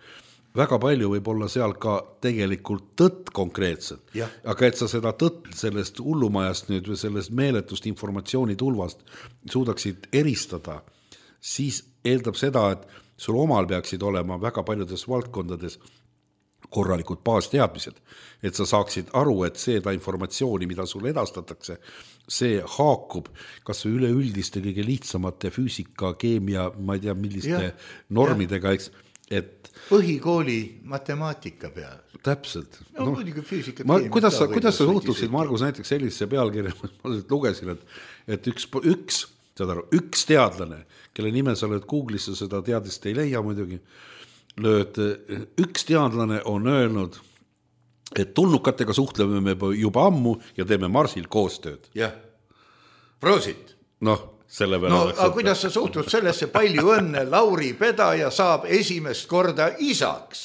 väga palju võib olla seal ka tegelikult tõtt konkreetselt, aga et sa seda tõtt sellest hullumajast nüüd või sellest meeletust informatsioonitulvast suudaksid eristada, siis eeldab seda, et sul omal peaksid olema väga paljudes valdkondades korralikud baasteadmised, et sa saaksid aru, et seda informatsiooni, mida sulle edastatakse, see haakub kas või üleüldiste kõige lihtsamate füüsika, keemia, ma ei tea, milliste normidega, eks, et põhikooli matemaatika peal. Täpselt. No, füüsikat, kuidas sa suhtuksid, Margus, näiteks sellisesse pealkirja, ma lugesin, et üks teadlane, kelle nime sa lööd Google'isse, seda teadist ei leia muidugi, üks teadlane on öelnud, et tulnukatega suhtleme me juba ammu ja teeme Marsil koostööd. Jah, proosit. Selle peale aga kuidas sa suhtud sellesse, palju õnne, Lauri Pedaja saab esimest korda isaks.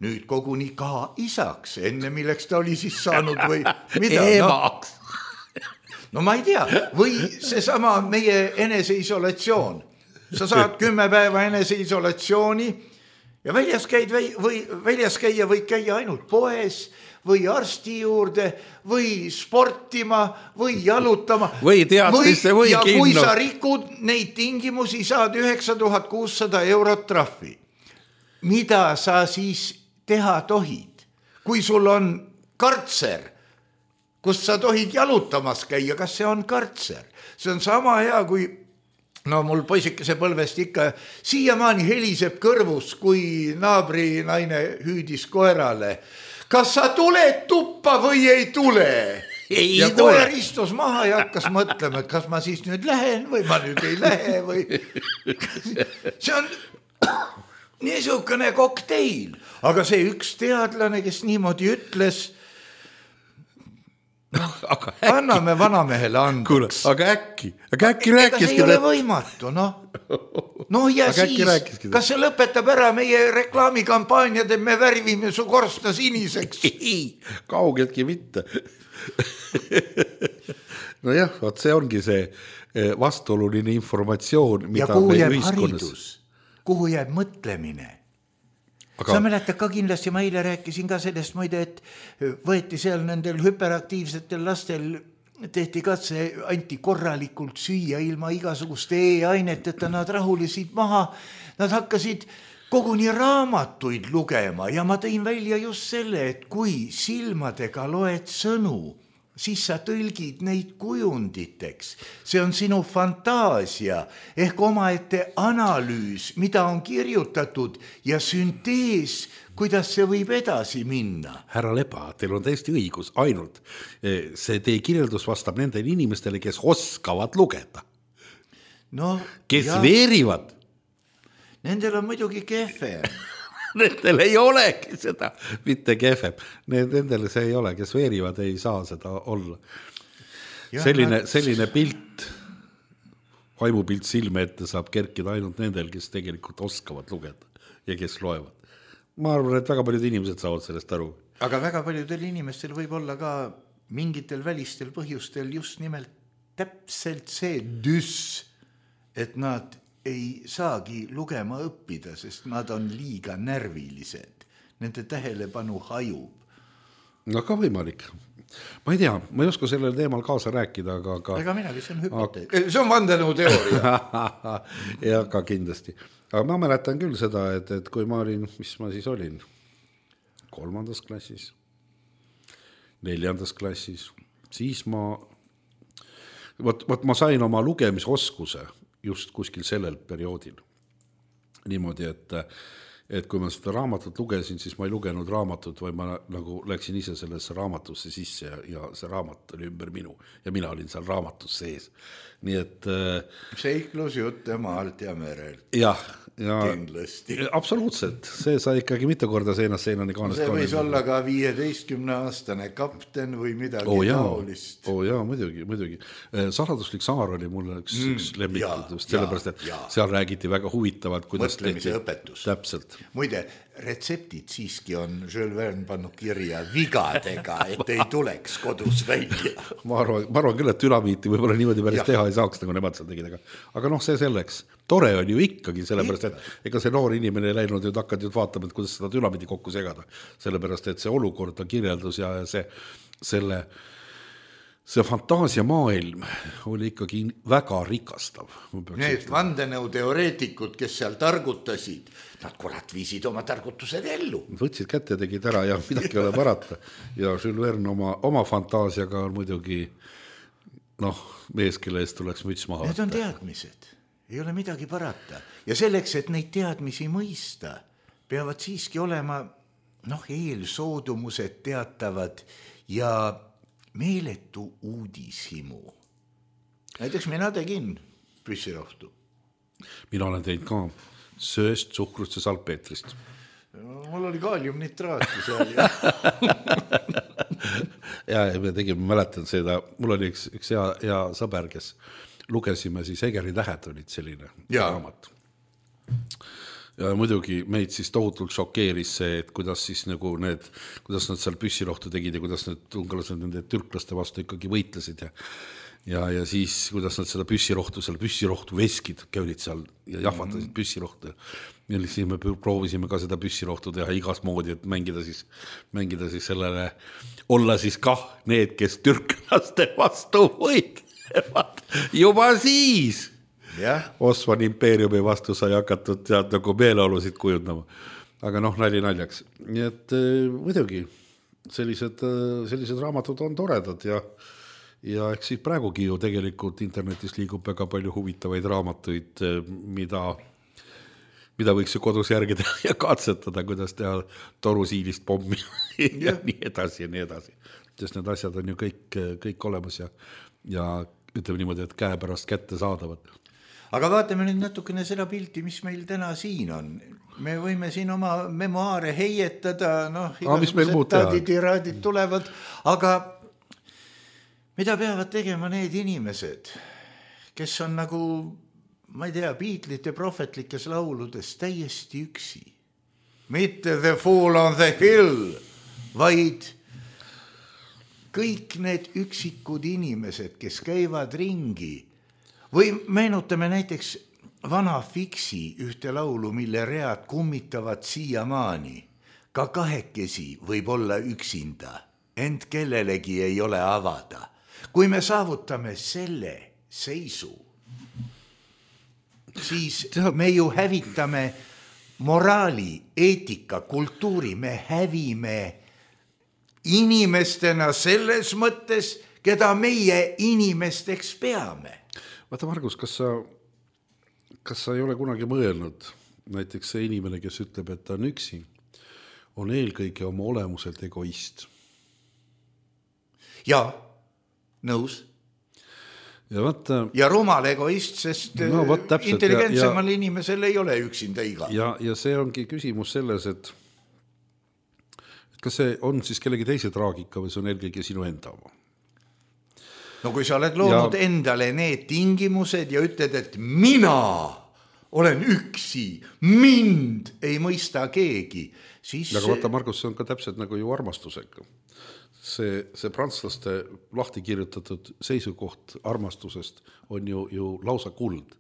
Nüüd koguni ka isaks, enne milleks ta oli siis saanud või mida? Emaks. No ma ei tea, või seesama meie eneseisolatsioon. Sa saad 10 päeva eneseisolatsiooni ja väljas käia võid käia ainult poes või arsti juurde või sportima või jalutama. Või teatrisse või ja kinno. Kui sa rikud neid tingimusi, saad 9600 eurot trahvi. Mida sa siis teha tohid? Kui sul on kartser, kus sa tohid jalutamas käia, kas see on kartser? See on sama hea, kui mul poisikese põlvest ikka siiamaani heliseb kõrvus, kui naabri naine hüüdis koerale. Kas sa tuled tuppa või ei tule? Ja koer istus maha ja hakkas mõtlema, et kas ma siis nüüd lähen või ma nüüd ei lähe või... See on niisugune kokteil. Aga see üks teadlane, kes niimoodi ütles... anname vanamehele andeks. Aga äkki rääkiski. Ega see ei ole võimatu, ja siis, kas see lõpetab ära meie reklaamikampaaniad, et me värvime su korsta siniseks? Kaugeltki mitte. Nojah, see ongi see vastuoluline informatsioon, mida me ühiskonnas... Kuhu jääb mõtlemine? Sa mäletad ka kindlasti, ma eile rääkisin ka sellest muide, et võeti seal nendel hüperaktiivsetel lastel, tehti katse, anti korralikult süüa ilma igasuguste aineteta, nad rahulisid maha, nad hakkasid koguni raamatuid lugema ja ma tõin välja just selle, et kui silmadega loed sõnu, siis sa tõlgid neid kujunditeks. See on sinu fantaasia ehk omaette analüüs, mida on kirjutatud ja syntees, kuidas see võib edasi minna. Härra Lepa, teil on täiesti õigus, ainult see teie kirjeldus vastab nendele inimestele, kes oskavad lugeda. Kes veerivad. Nendel on muidugi kehve. Nendel ei olegi seda, mitte kehvem. Nendel see ei ole, kes veerivad, ei saa seda olla. Selline pilt, vaimupilt silme ette saab kerkida ainult nendel, kes tegelikult oskavad lugeda ja kes loevad. Ma arvan, et väga paljud inimesed saavad sellest aru. Aga väga paljudel inimestel võib olla ka mingitel välistel põhjustel just nimelt täpselt see et nad ei saagi lugema õppida, sest nad on liiga närvilised. Nende tähelepanu hajub. Ka võimalik. Ma ei tea, ma ei oska sellel teemal kaasa rääkida, aga... Ega minagi, see on hüpotees. See on vandenõu teooria. Ja ka kindlasti. Aga ma mäletan küll seda, et kui ma olin, mis ma siis olin? 3. klassis, 4. klassis, siis ma sain oma lugemisoskuse just kuskil sellel perioodil. Niimoodi, et kui ma seda raamatut lugesin, siis ma ei lugenud raamatut, vaid ma nagu läksin ise sellesse raamatusse sisse ja see raamat oli ümber minu ja mina olin seal raamatus sees. Nii et... Seiklus jutte maalt ja merelt. Jah, kindlasti. Absoluutselt, see sai ikkagi mitu korda seinast seinani kaanest. See võis olla ka 15-aastane kapten või midagi taolist. Jaa, muidugi. Saladuslik saar oli mulle üks lemmikud just sellepärast, et seal räägiti väga huvitavalt, kuidas mõtlemise õpetus. Täpselt. Muide, retseptid siiski on Jules Verne pannud kirja vigadega, et ei tuleks kodus välja. Ma arvan küll, et dünamiiti võib-olla niimoodi päris teha ei saaks, nagu nemad seal tegid. Aga see selleks. Tore on ju ikkagi, sellepärast, et ega see noor inimene ei läinud ja hakkad vaatama, et kuidas seda dünamiiti kokku segada. Sellepärast, et see olukord on kirjeldus ja see fantaasiamaailm oli ikkagi väga rikastav. Need vandenõuteoreetikud, kes seal targutasid, nad kurat viisid oma targutused ellu. Võtsid kätte ja tegid ära ja midagi ei ole parata. Ja Jules Verne oma fantaasiaga on muidugi mees, kelle eest tuleks müts maha. Need on teadmised, ei ole midagi parata. Ja selleks, et neid teadmisi mõista, peavad siiski olema eelsoodumused teatavad ja meeletu uudishimu. Näiteks mina tegin püssirohtu. Mina olen teinud ka sööst, suhkrust ja salpeetrist. Mul oli kaaliumnitraati seal. Ja me tegime, mäletan seda, mul oli üks hea sõber, kes lugesime siis Egeri tähed olid selline raamat. Ja muidugi meid siis tohutult šokeeris see, et kuidas siis nagu kuidas nad seal püssirohtu tegid ja kuidas need ungalased nende türklaste vastu ikkagi võitlesid ja siis kuidas nad seda püssirohtu veskid käülid seal ja jahvatasid püssirohtu ja siis me proovisime ka seda püssirohtu teha igas moodi, et mängida siis sellele, olla siis kah need, kes türklaste vastu võitlevad juba siis. Osmani impeeriumi vastu sai hakatud nagu meeleolusid kujundama. Aga nali naljaks. Nii et muidugi sellised raamatud on toredad ja eks siis praegugi ju tegelikult internetis liigub väga palju huvitavaid raamatuid, mida võiks ju kodus järgida ja katsetada, kuidas teha torusiilist pommi ja nii edasi ja nii edasi. Sest need asjad on ju kõik olemas ja ütleme niimoodi, et käe pärast kätte saadavad. Aga vaatame nüüd natukene seda pilti, mis meil täna siin on. Me võime siin oma memoaare heietada, tiraadid tulevad, aga mida peavad tegema need inimesed, kes on nagu, ma ei tea, Beatlesite prohvetlikes lauludes täiesti üksi. Mitte The Fool on the Hill, vaid kõik need üksikud inimesed, kes käivad ringi. Või meenutame näiteks vana Fiksi ühte laulu, mille read kummitavad siiamaani. Ka kahekesi võib olla üksinda, ent kellelegi ei ole avada. Kui me saavutame selle seisu, siis me ju hävitame moraali, eetika, kultuuri, me hävime inimestena selles mõttes, keda meie inimesteks peame. Vaata, Margus, kas sa ei ole kunagi mõelnud, näiteks see inimene, kes ütleb, et ta on üksi, on eelkõige oma olemuselt egoist? Ja, nõus. Ja rumal egoist, sest intelligentsemal inimesel ei ole üksinda iga. Ja see ongi küsimus selles, et kas see on siis kellegi teise traagika või see on eelkõige sinu enda oma? No kui sa oled loonud endale need tingimused ja ütled, et mina olen üksi, mind ei mõista keegi, siis... Aga vaata, Margus, see on ka täpselt nagu ju armastusega. See prantslaste lahti kirjutatud seisukoht armastusest on ju lausa kuld.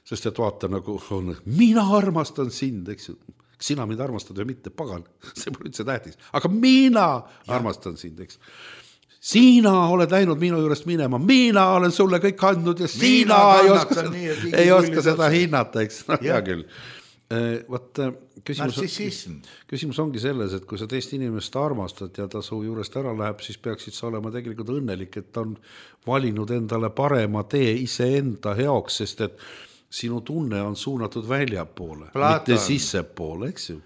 Sest et vaata nagu on, mina armastan sind, eks ju. Sina mind armastad või mitte, pagan, see pole üldse tähtis. Aga mina armastan sind, eks. Sina oled läinud minu juurest minema, mina olen sulle kõik andnud ja sina ei oska seda hinnata, eks. Hea küll. Küsimus ongi selles, et kui sa teist inimest armastad ja ta su juurest ära läheb, siis peaksid sa olema tegelikult õnnelik, et ta on valinud endale parema tee iseenda heoks, sest et sinu tunne on suunatud väljapoole, mitte sissepoole, eks ju.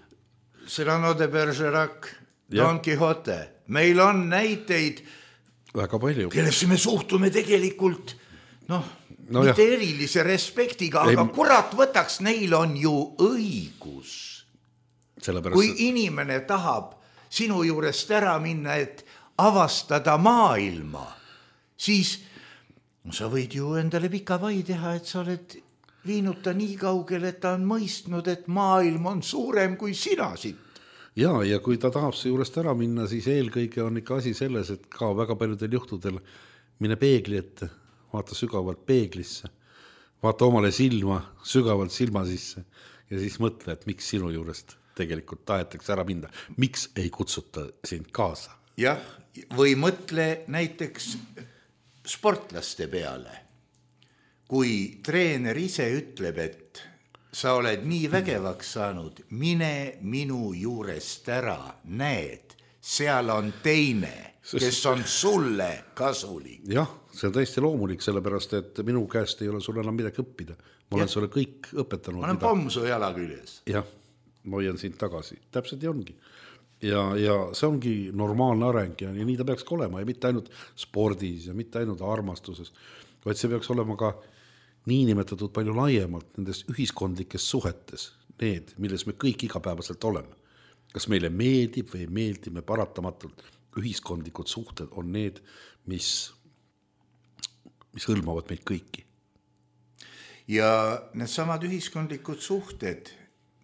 Cyrano de Bergerac, Don Quixote. Meil on näiteid, väga palju. Kellesse me suhtume tegelikult, mitte erilise respektiga, aga kurat võtaks, neil on ju õigus. Kui inimene tahab sinu juurest ära minna, et avastada maailma, siis sa võid ju endale pika vai teha, et sa oled viinud ta nii kaugele, et ta on mõistnud, et maailm on suurem kui sina siit. Ja kui ta tahab see juurest ära minna, siis eelkõige on ikka asi selles, et ka väga paljudel juhtudel mine peegli ette, vaata sügavalt peeglisse, vaata omale silma, sügavalt silma sisse ja siis mõtle, et miks sinu juurest tegelikult tahetakse ära minna. Miks ei kutsuta sind kaasa? Jah, või mõtle näiteks sportlaste peale. Kui treener ise ütleb, et sa oled nii vägevaks saanud, mine minu juurest ära, näed, seal on teine, kes on sulle kasulik. Jah, see on täiesti loomulik, sellepärast, et minu käest ei ole sulle enam midagi õppida. Ma olen sulle kõik õpetanud. Ma olen pomsu jala küljes. Jah, ma hoian sind tagasi. Täpselt nii ongi. Ja see ongi normaalne areng ja nii ta peaks olema ja mitte ainult spordis ja mitte ainult armastuses, vaid see peaks olema ka niinimetatud palju laiemalt nendes ühiskondlikes suhetes, need, milles me kõik igapäevaselt oleme. Kas meile meeldib või ei meeldi, me paratamatult ühiskondlikud suhted on need, mis hõlmavad meid kõiki. Ja need samad ühiskondlikud suhted,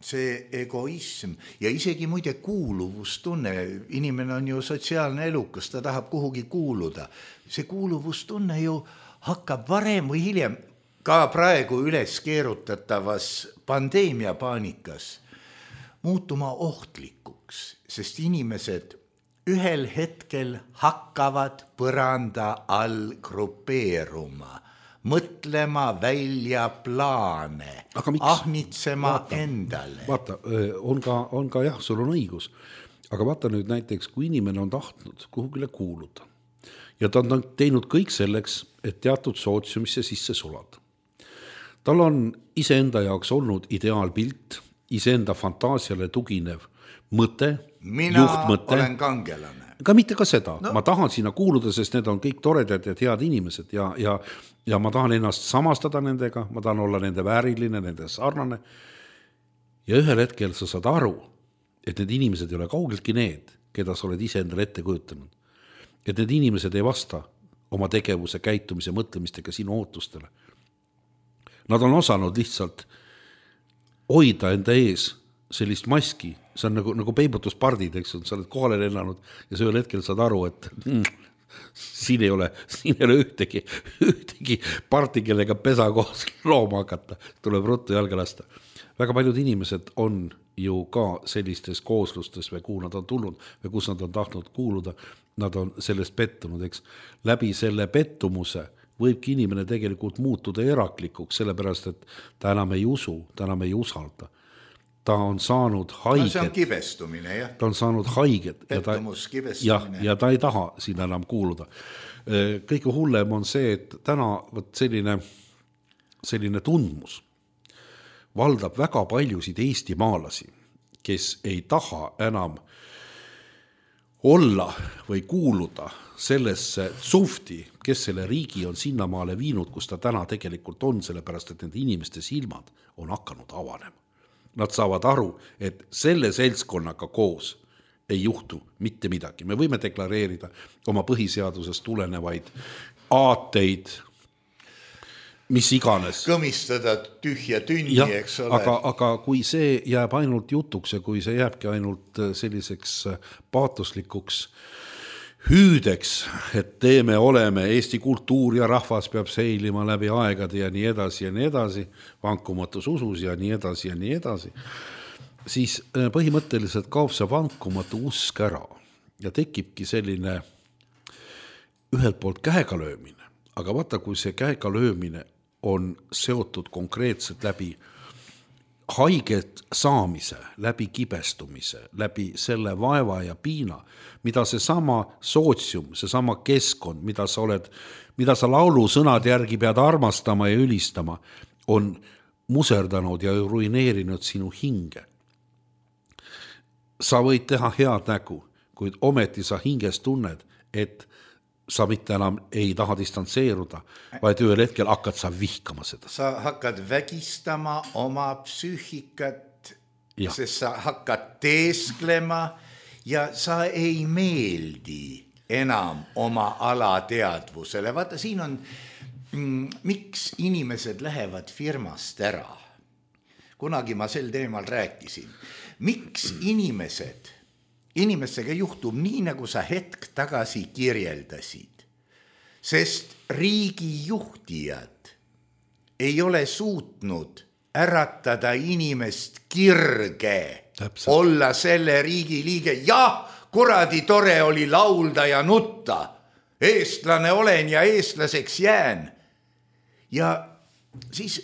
see egoism ja isegi muide kuuluvustunne, inimene on ju sotsiaalne elukas, ta tahab kuhugi kuuluda. See kuuluvustunne ju hakkab varem või hiljem ka praegu üles keerutatavas pandeemiapaanikas muutuma ohtlikuks, sest inimesed ühel hetkel hakkavad põranda all grupeeruma, mõtlema välja plaane, ahnitsema endale. Vaata, on ka jah, sul on õigus, aga vaata nüüd näiteks, kui inimene on tahtnud kuhugile kuuluda ja ta on teinud kõik selleks, et teatud sootsiumisse sisse sulada. Tal on iseenda jaoks olnud ideaalpilt, iseenda fantaasiale tuginev mõte, juhtmõte. Olen kangelane. Ka mitte ka seda. No. Ma tahan sinna kuuluda, sest need on kõik toredad ja head inimesed ja ma tahan ennast samastada nendega, ma tahan olla nende vääriline, nende sarnane. Ja ühel hetkel sa saad aru, et need inimesed ei ole kaugeltki need, keda sa oled ise endale ette kujutanud. Et need inimesed ei vasta oma tegevuse, käitumise, mõtlemistega sinu ootustele. Nad on osanud lihtsalt hoida enda ees sellist maski, see on nagu peibutuspardid, eks, sa oled kohale lennanud ja see ühel hetkel saad aru, et siin ei ole ühtegi parti, kellega pesa koos looma hakata, tuleb ruttu jalga lasta. Väga paljud inimesed on ju ka sellistes kooslustes või kuhu nad on tulnud või kus nad on tahtnud kuuluda, nad on sellest pettunud, eks. Läbi selle pettumuse võibki inimene tegelikult muutuda eraklikuks, sellepärast, et ta enam ei usu, ta enam ei usalda. Ta on saanud haiget. No see on kibestumine, jah. Ta on saanud haiget. Pettumus, kibestumine. Ja ta ei taha sinna enam kuuluda. Kõige hullem on see, et täna selline tundmus valdab väga paljusid Eesti maalasi, kes ei taha enam olla või kuuluda sellesse sufti, kes selle riigi on sinnamaale viinud, kus ta täna tegelikult on, sellepärast, et nende inimeste silmad on hakanud avanema. Nad saavad aru, et selle seltskonnaga koos ei juhtu mitte midagi. Me võime deklareerida oma põhiseadusest tulenevaid aateid, mis iganes. Kõmistada tühja tünni, eks ole. Aga kui see jääb ainult jutuks ja kui see jääbki ainult selliseks paatoslikuks hüüdeks, et teeme oleme, Eesti kultuur ja rahvas peab seilima läbi aegade ja nii edasi, vankumatus usus ja nii edasi, siis põhimõtteliselt kaob see vankumatu usk ära ja tekibki selline ühelt poolt käega löömine, aga vaata, kui see käega löömine on seotud konkreetselt läbi haiget saamise, läbi kibestumise, läbi selle vaeva ja piina, mida see sama sootsium, see sama keskkond, mida sa laulu sõnad järgi pead armastama ja ülistama, on muserdanud ja ruineerinud sinu hinge. Sa võid teha head nägu, kuid ometi sa hinges tunned, et sa mitte enam ei taha distantseeruda, vaid ühel hetkel hakkad sa vihkama seda. Sa hakkad vägistama oma psüühikat, sest sa hakkad teesklema ja sa ei meeldi enam oma alateadvusele. Vaata, siin on, miks inimesed lähevad firmast ära. Kunagi ma sel teemal rääkisin. Miks inimestega juhtub nii, nagu sa hetk tagasi kirjeldasid, sest riigijuhtijad ei ole suutnud äratada inimest kirge. Täpselt. Olla selle riigi liige. Jah, kuradi tore oli laulda ja nutta, eestlane olen ja eestlaseks jään. Ja siis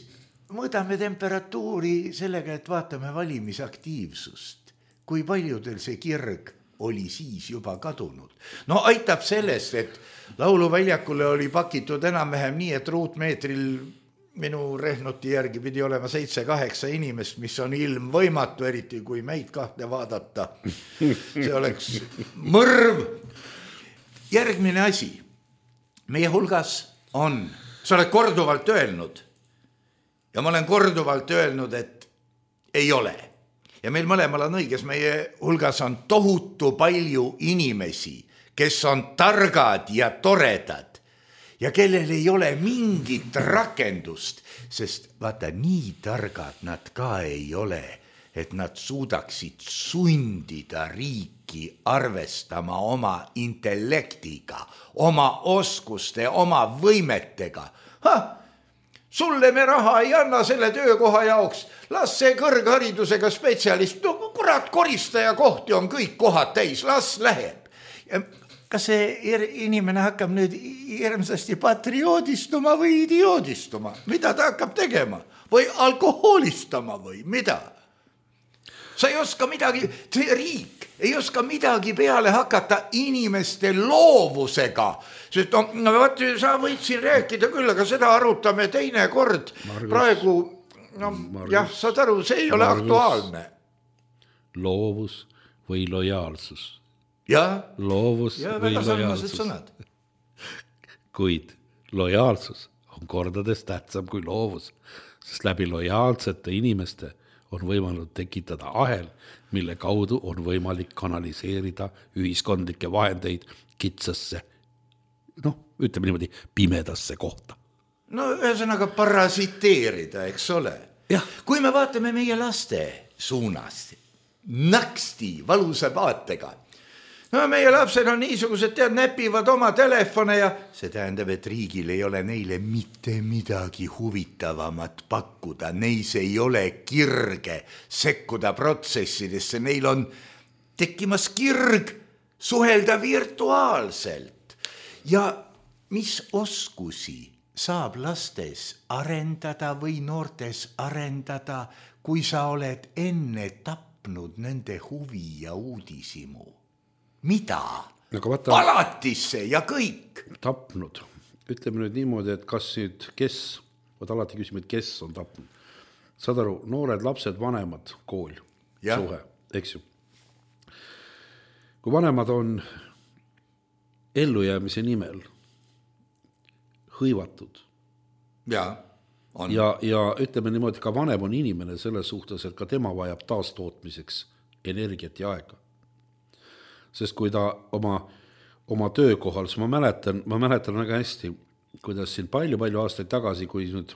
mõõdame temperatuuri sellega, et vaatame valimisaktiivsust. Kui paljudel see kirg oli siis juba kadunud. No aitab sellest, et lauluväljakule oli pakitud enam-vähem nii, et ruutmeetril minu rehnoti järgi pidi olema 7-8 inimest, mis on ilmvõimatu, eriti kui meid kahte vaadata. See oleks mõrv. Järgmine asi. Meie hulgas on, sa oled korduvalt öelnud ja ma olen korduvalt öelnud, et ei ole. Ja meil mõlemal on õiges, meie hulgas on tohutu palju inimesi, kes on targad ja toredad ja kellel ei ole mingit rakendust, sest vaata, nii targad nad ka ei ole, et nad suudaksid sundida riiki arvestama oma intellektiga, oma oskuste, oma võimetega. Sulle me raha ei anna selle töökoha jaoks, las see kõrgharidusega spetsialist, no kurat, koristaja kohti on kõik kohad täis, las läheb. Kas see inimene hakkab nüüd hirmsasti patrioodistuma või idioodistuma? Mida ta hakkab tegema? Või alkoholistama või mida? Sa ei oska midagi, see riik ei oska midagi peale hakata inimeste loovusega. Sest no vaat, sa võid siin rääkida küll, aga seda arutame teine kord. Praegu, jah, saad aru, see ei ole aktuaalne. Loovus või lojaalsus. Ja, loovus ja või väga sarnased lojaalsus. sõnad. Kuid lojaalsus on kordades tähtsam kui loovus, sest läbi lojaalsete inimeste on võimalik tekitada ahel, mille kaudu on võimalik kanaliseerida ühiskondlikke vahendeid kitsasse, ütleme niimoodi, pimedasse kohta. No ühesõnaga parasiteerida, eks ole. Jah. Kui me vaatame meie laste suunas, naksti valusa vaatega, no meie lapsed on niisugused, näpivad oma telefone ja see tähendab, et riigil ei ole neile mitte midagi huvitavamat pakkuda. Neis ei ole kirge sekkuda protsessidesse. Neil on tekkimas kirg suhelda virtuaalselt. Ja mis oskusi saab lastes arendada või noortes arendada, kui sa oled enne tapnud nende huvi ja uudisimu? Mida? Alatisse ja kõik. Tapnud. Ütleme nüüd niimoodi, et kas nüüd, võt alati küsime, et kes on tapnud. Saad aru, noored lapsed, vanemad, kool, suhe, eks ju. Kui vanemad on ellujäämise nimel hõivatud. Ja ütleme niimoodi, ka vanem on inimene selles suhtes, et ka tema vajab taastootmiseks energiat ja aega. Sest kui ta oma töökohal, siis ma mäletan väga hästi, kuidas siin palju aastaid tagasi, kui nüüd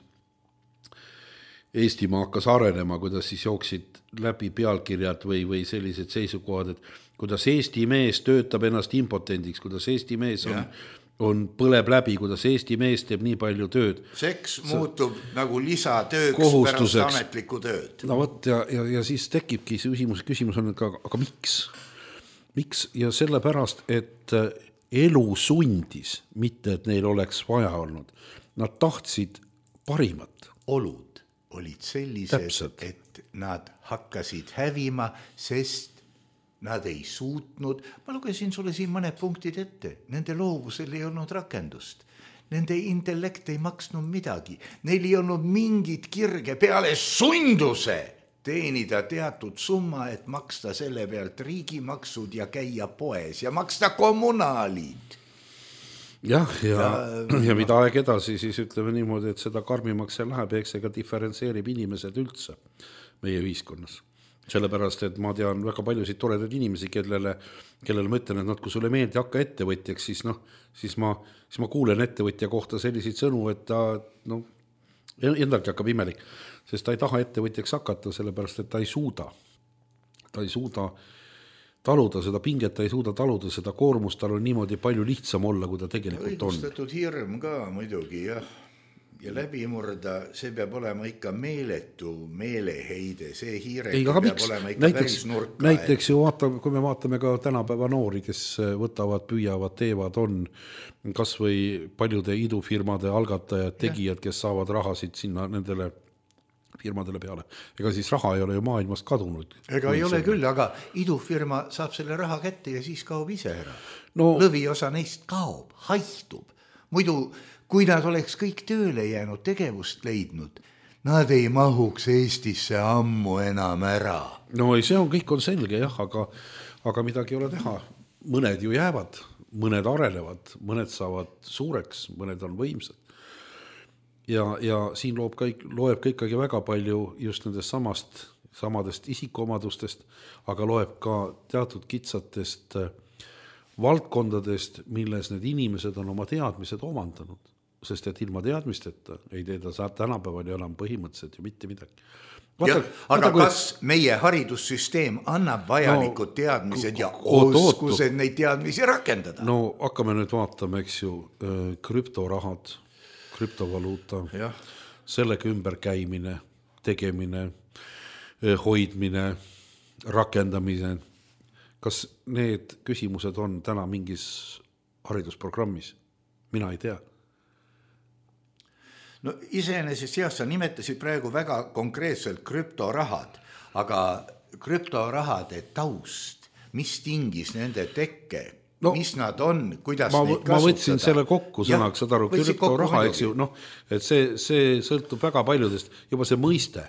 Eestimaa hakkas arenema, kuidas siis jooksid läbi pealkirjad või sellised seisukohad, et kuidas Eesti mees töötab ennast impotendiks, kuidas Eesti mees põleb läbi, kuidas Eesti mees teeb nii palju tööd. Seks muutub nagu lisatööks pärast ametlikku tööd. No võt, ja siis tekibki see küsimus on, aga miks? Miks? Ja sellepärast, et elu sundis, mitte et neil oleks vaja olnud. Nad tahtsid parimat. Olud olid sellised, Täpselt. et nad hakkasid hävima, sest nad ei suutnud. Ma lugesin sulle siin mõned punktid ette. Nende loovusel ei olnud rakendust. Nende intellekt ei maksnud midagi. Neil ei olnud mingit kirge peale sunduse teenida teatud summa, et maksta selle pealt riigimaksud ja käia poes ja maksta kommunaalid. Ja mida aeg edasi, siis ütleme niimoodi, et seda karmimaks see läheb, eks ega diferentseerib inimesed üldse meie ühiskonnas. Sellepärast, et ma tean väga paljusid toredaid inimesi, kellele ma ütlen, et kui sulle meeldi hakka ettevõtjaks, siis ma kuulen ettevõtja kohta selliseid sõnu, et ta endalgi hakkab imelik, sest ta ei taha ettevõtjaks hakata, sellepärast, et ta ei suuda taluda seda pinget, ta ei suuda taluda seda koormust, tal on niimoodi palju lihtsam olla, kui ta tegelikult on. Õigustatud hirm ka muidugi, jah. ja läbi murda, see peab olema ikka meeletu meeleheide, see hiireke Ei, aga peab miks? olema ikka päris nurka. Näiteks ju kui me vaatame ka tänapäeva noori, kes võtavad, püüavad, teevad, on kas või paljude idufirmade algatajad, tegijad, kes saavad rahasid sinna nendele firmadele peale. Ega siis raha ei ole ju maailmast kadunud. Ega ei ole küll, aga idufirma saab selle raha kätte ja siis kaob ise ära. No, lõviosa neist kaob, haihtub. Muidu, kui nad oleks kõik tööle jäänud, tegevust leidnud, nad ei mahuks Eestisse ammu enam ära. No ei, see on, kõik on selge jah, aga midagi ei ole teha. Mõned ju jäävad, mõned arenevad, mõned saavad suureks, mõned on võimsad. Ja siin loeb ka ikkagi väga palju just nendest samadest isikuomadustest, aga loeb ka teatud kitsatest valdkondadest, milles need inimesed on oma teadmised omandanud, sest et ilma teadmisteta ei teeda tänapäeval enam põhimõtteliselt ju mitte midagi. Aga kas meie haridussüsteem annab vajalikud teadmised ja oskused neid teadmisi rakendada? No hakkame nüüd vaatama, eks ju, krüptorahad, krüptovaluuta, sellega ümberkäimine, tegemine, hoidmine, rakendamine. Kas need küsimused on täna mingis haridusprogrammis? Mina ei tea. No iseenesest jah, sa nimetasid praegu väga konkreetselt krüptorahad, aga krüptorahade taust, mis tingis nende tekke, mis nad on, kuidas neid kasutada. Ma võtsin selle kokku sõnaks, saad aru, krüptoraha, eks ju, et see sõltub väga paljudest, juba see mõiste,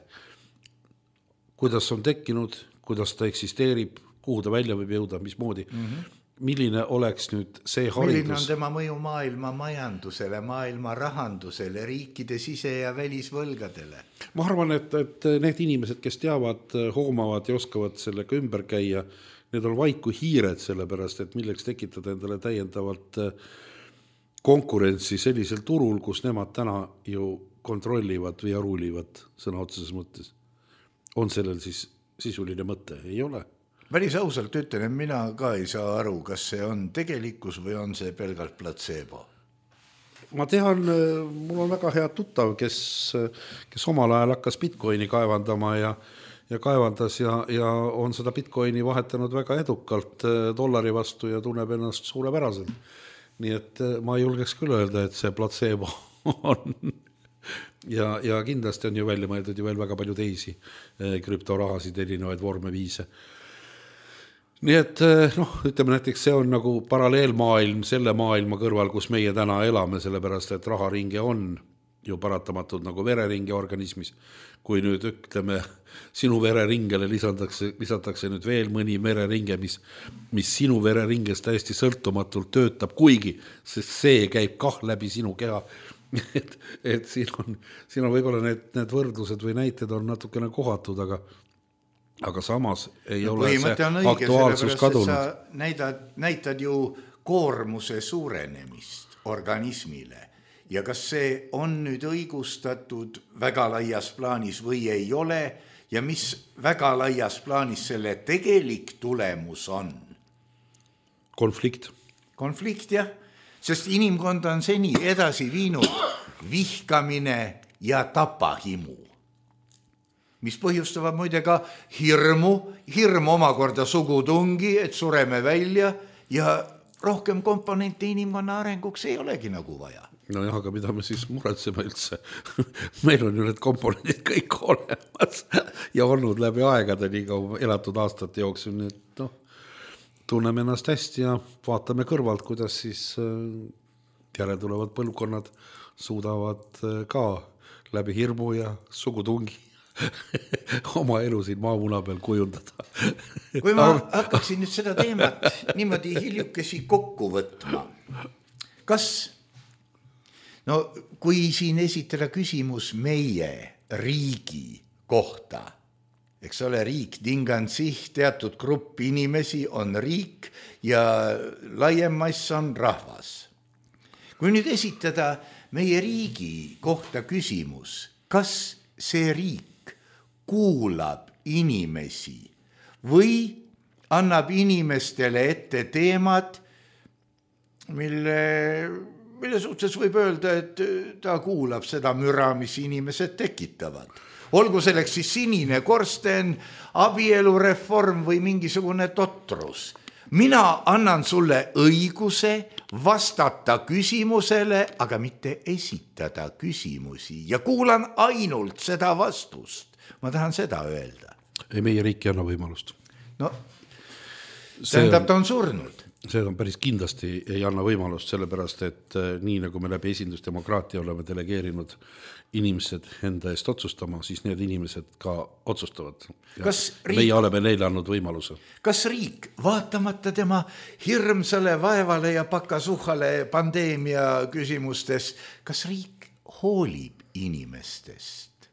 kuidas on tekkinud, kuidas ta eksisteerib, kuhu ta välja võib jõuda, mismoodi. Milline oleks nüüd see haridus? Milline on tema mõju maailma majandusele, maailma rahandusele, riikide sise- ja välisvõlgadele? Ma arvan, et need inimesed, kes teavad, hoomavad ja oskavad sellega ümber käia, need on vaid kui hiired, sellepärast, et milleks tekitada endale täiendavalt konkurentsi sellisel turul, kus nemad täna ju kontrollivad või ruulivad sõna otseses mõttes. On sellel siis sisuline mõte? Ei ole. Päris ausalt ütlen, et mina ka ei saa aru, kas see on tegelikkus või on see pelgalt placebo. Ma tean, mul on väga hea tuttav, kes omal ajal hakkas Bitcoini kaevandama ja kaevandas ja on seda Bitcoini vahetanud väga edukalt dollari vastu ja tunneb ennast suurepäraselt. Nii et ma julgeks küll öelda, et see placebo on. Ja kindlasti on ju välja mõeldud ju veel väga palju teisi krüptorahasid, erinevaid vorme, viise. Nii et ütleme näiteks, see on nagu paralleelmaailm selle maailma kõrval, kus meie täna elame, sellepärast, et raharinge on ju paratamatult nagu vereringe organismis. Kui nüüd ütleme, sinu vereringele lisatakse nüüd veel mõni vereringe, mis sinu vereringest täiesti sõltumatult töötab, kuigi, sest see käib kah läbi sinu keha. Et siin on võib-olla need võrdlused või näited on natukene kohatud, aga samas ei ole see aktuaalsus kadunud. Sa näitad ju koormuse suurenemist organismile ja kas see on nüüd õigustatud väga laias plaanis või ei ole ja mis väga laias plaanis selle tegelik tulemus on? Konflikt, jah, sest inimkond on seni edasi viinud vihkamine ja tapahimu, mis põhjustavad muide ka hirm omakorda sugutungi, et sureme välja ja rohkem komponente inimkonna arenguks ei olegi nagu vaja. No jah, aga mida me siis muretseme üldse? Meil on ju need komponendid kõik olemas ja olnud läbi aegade nii kaua elatud aastate jooksul, nii et tunneme ennast hästi ja vaatame kõrvalt, kuidas siis järeltulevad põlvkonnad suudavad ka läbi hirmu ja sugutungi oma elu siin maamuna peal kujundada. Kui ma hakkaksin nüüd seda teemat niimoodi hiljukesi kokku võtma, kui siin esitada küsimus meie riigi kohta, eks ole, riik, tingansih, teatud grupp inimesi on riik ja laiem mass on rahvas. Kui nüüd esitada meie riigi kohta küsimus, kas see riik kuulab inimesi või annab inimestele ette teemad, mille mille suhtes võib öelda, et ta kuulab seda müra, mis inimesed tekitavad. Olgu selleks siis sinine korsten, abielureform või mingisugune totrus. Mina annan sulle õiguse vastata küsimusele, aga mitte esitada küsimusi ja kuulan ainult seda vastust. Ma tahan seda öelda. Ei, meie riik ei anna võimalust. No, tähendab, ta on surnud. See on päris kindlasti ei anna võimalust, sellepärast, et nii nagu me läbi esindusdemokraatia oleme delegeerinud inimesed enda eest otsustama, siis need inimesed ka otsustavad. Meie oleme neile andnud võimaluse. Kas riik, vaatamata tema hirmsale vaevale ja pakasuhale pandeemia küsimustes, kas riik hoolib inimestest?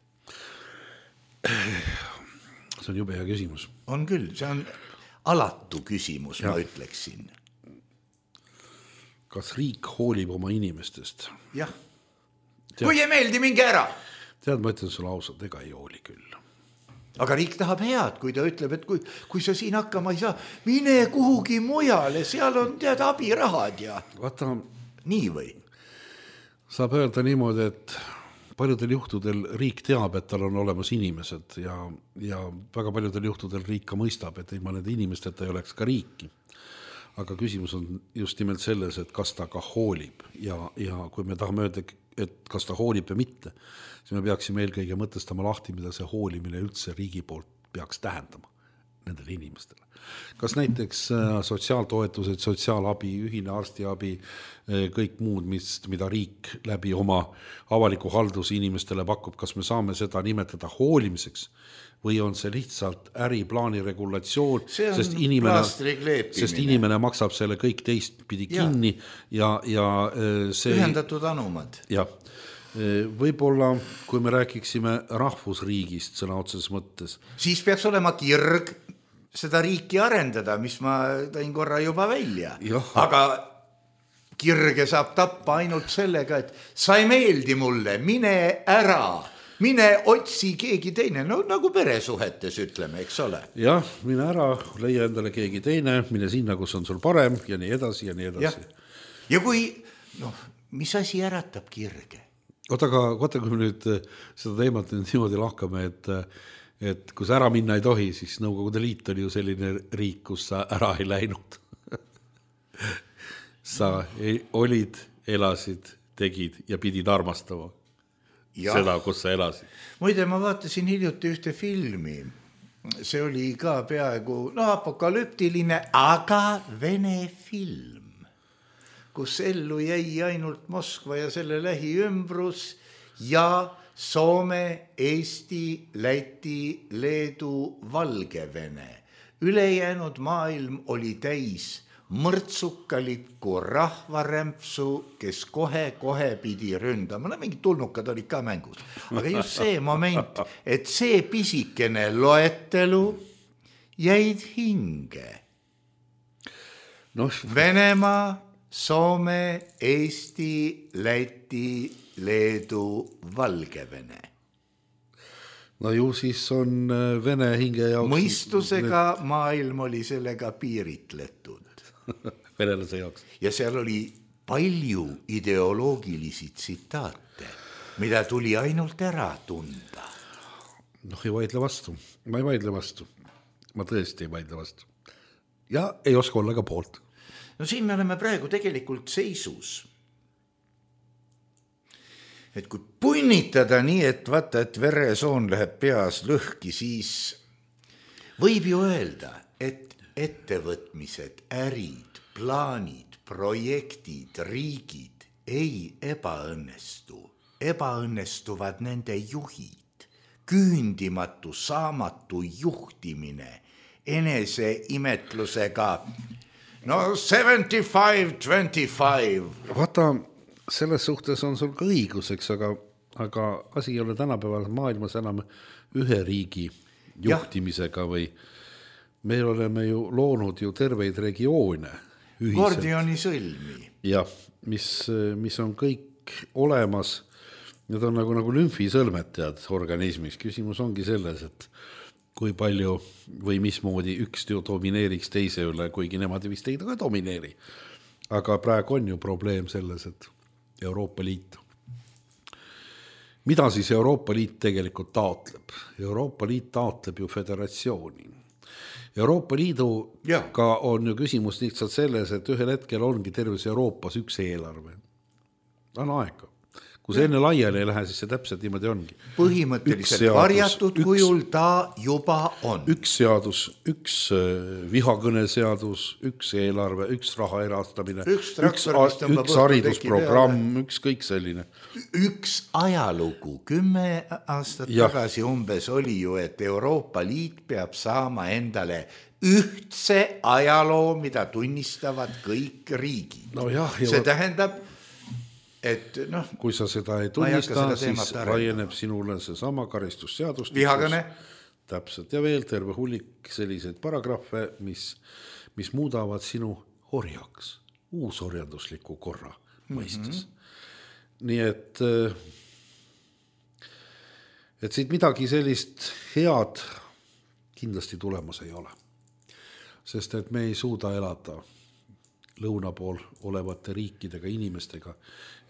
See on jube hea küsimus. On küll, see on alatu küsimus, ma ütleksin. Kas riik hoolib oma inimestest? Jah. Kui ei meeldi, minge ära. Tead, ma ütlen sulle ausalt, ega ei hooli küll. Aga riik tahab head, kui ta ütleb, et kui sa siin hakkama ei saa, mine kuhugi mujale, seal on tead abirahad ja... Vaata, nii või? Saab öelda niimoodi, et paljudel juhtudel riik teab, et tal on olemas inimesed ja väga paljudel juhtudel riik ka mõistab, et ilma nende inimesteta ei oleks ka riiki. Aga küsimus on just nimelt selles, et kas ta ka hoolib ja kui me tahame öelda, et kas ta hoolib või mitte, siis me peaksime eelkõige mõtestama lahti, mida see hoolimine üldse riigi poolt peaks tähendama nendele inimestele. Kas näiteks sotsiaaltoetused, sotsiaalabi, ühine arstiabi, kõik muud, mida riik läbi oma avaliku halduse inimestele pakub, kas me saame seda nimetada hoolimiseks või on see lihtsalt äriplaani regulatsioon, sest inimene maksab selle kõik teistpidi kinni ja see... Ühendatud anumad. Jah. Võib-olla, kui me rääkiksime rahvusriigist sõna otseses mõttes. Siis peaks olema kirg seda riiki arendada, mis ma tõin korra juba välja. Aga kirge saab tappa ainult sellega, et sa ei meeldi mulle, mine ära. Mine otsi keegi teine, no nagu peresuhetes ütleme, eks ole. Jah, mine ära, leia endale keegi teine, mine sinna, kus on sul parem ja nii edasi ja nii edasi. Ja kui, mis asi äratab kirge? Vaata, kui me nüüd seda teemat niimoodi lahkame, et kui sa ära minna ei tohi, siis Nõukogude Liit oli ju selline riik, kus sa ära ei läinud. Sa olid, elasid, tegid ja pidid armastama. Seda, kus sa elasid. Muide, ma vaatasin hiljuti ühte filmi. See oli ka peaaegu apokalüptiline, aga vene film, kus ellu jäi ainult Moskva ja selle lähiümbrus ja Soome, Eesti, Läti, Leedu, Valgevene. Ülejäänud maailm oli täis mõrtsukalikku rahvarämpsu, kes kohe pidi ründama. Mingid tulnukad olid ka mängus. Aga just see moment, et see pisikene loetelu jäid hinge. Venemaa, Soome, Eesti, Läti, Leedu, Valgevene. No ju siis on Vene hinge jaoks... Mõistusega maailm oli sellega piiritletud. Venelase jaoks. Ja seal oli palju ideoloogilisi tsitaate, mida tuli ainult ära tunda. Ei vaidle vastu. Ma ei vaidle vastu. Ma tõesti ei vaidle vastu. Ja ei oska olla ka poolt. Siin me oleme praegu tegelikult seisus. Et kui punnitada nii, et vaata, et veresoon läheb peas lõhki, siis võib ju öelda, et ettevõtmised, ärid, plaanid, projektid, riigid ei ebaõnnestu. Ebaõnnestuvad nende juhid, küündimatu, saamatu juhtimine, enese imetlusega 75-25. Vaata, selles suhtes on sul ka õiguseks, aga asi ei ole tänapäeval maailmas enam ühe riigi juhtimisega või me oleme ju loonud ju terveid regioone ühiselt. Gordioni sõlmi. Jah, mis on kõik olemas. Need on nagu lümfisõlmed tead organismis. Küsimus ongi selles, et kui palju või mismoodi üks domineeriks teise üle, kuigi nemad vist ei ka domineeri. Aga praegu on ju probleem selles, et Euroopa Liitu. Mida siis Euroopa Liit tegelikult taotleb? Euroopa Liit taotleb ju föderatsiooni. Euroopa Liiduga on ju küsimus lihtsalt selles, et ühel hetkel ongi terves Euroopas üks eelarve. On aega. Kui see enne laiali ei lähe, siis see täpselt niimoodi ongi. Põhimõtteliselt varjatud kujul ta juba on. Üks seadus, üks vihakõneseadus, üks eelarve, üks raha erastamine, üks haridusprogramm, üks kõik selline. Üks ajalugu 10 aastat tagasi umbes oli ju, et Euroopa Liit peab saama endale ühtse ajaloo, mida tunnistavad kõik riigid. No jah, see tähendab, et kui sa seda ei tunnista, siis laieneb sinule see sama karistusseadustus. Vihakõne. Täpselt ja veel terve hullik selliseid paragrahve, mis muudavad sinu orjaks, uusorjandusliku korra mõistes. Nii et siit midagi sellist head kindlasti tulemas ei ole. Sest et me ei suuda elada lõuna pool olevate riikidega, inimestega,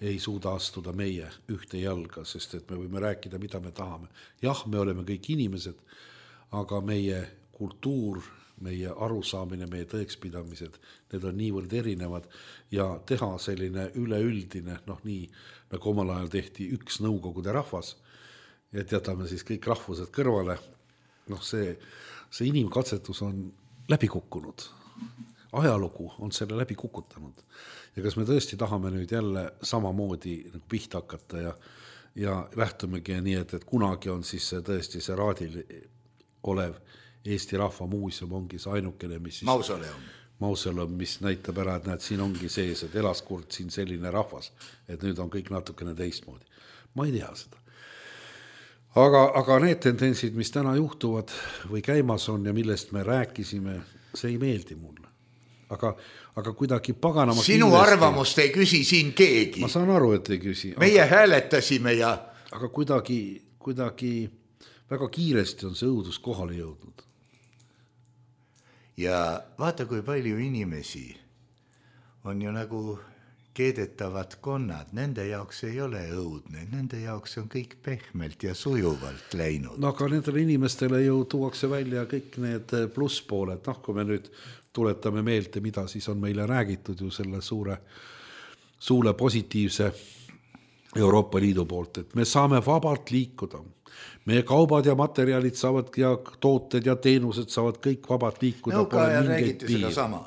ei suuda astuda meie ühte jalga, sest et me võime rääkida, mida me tahame. Jah, me oleme kõik inimesed, aga meie kultuur, meie arusaamine, meie tõekspidamised, need on niivõrd erinevad ja teha selline üleüldine, nii nagu omal ajal tehti üks nõukogude rahvas, et jätame siis kõik rahvused kõrvale, see inimkatsetus on läbi kukkunud. Ajalugu on selle läbi kukutanud. Ja kas me tõesti tahame nüüd jälle samamoodi nagu pihta hakata ja lähtumegi nii, et kunagi on siis tõesti see raadil olev Eesti Rahva Muuseum ongi see ainukene, mis mausoleum, mis näitab ära, et näed, siin ongi sees, et elas kord siin selline rahvas, et nüüd on kõik natukene teistmoodi. Ma ei tea seda. Aga need tendentsid, mis täna juhtuvad või käimas on ja millest me rääkisime, see ei meeldi mulle. Aga kuidagi paganama sinu kindlasti... arvamust ei küsi siin keegi. Ma saan aru, et ei küsi. Meie hääletasime ja... Aga kuidagi väga kiiresti on see õudus kohale jõudnud. Ja vaata, kui palju inimesi on ju nagu keedetavad konnad. Nende jaoks ei ole õudne. Nende jaoks on kõik pehmelt ja sujuvalt läinud. Aga nendele inimestele ju tuuakse välja kõik need plusspooled. Kui me nüüd tuletame meelde, mida siis on meile räägitud ju selle suure positiivse Euroopa Liidu poolt, et me saame vabalt liikuda. Meie kaubad ja materjalid saavad ja tooted ja teenused saavad kõik vabalt liikuda. Nõukaajal räägiti seda sama.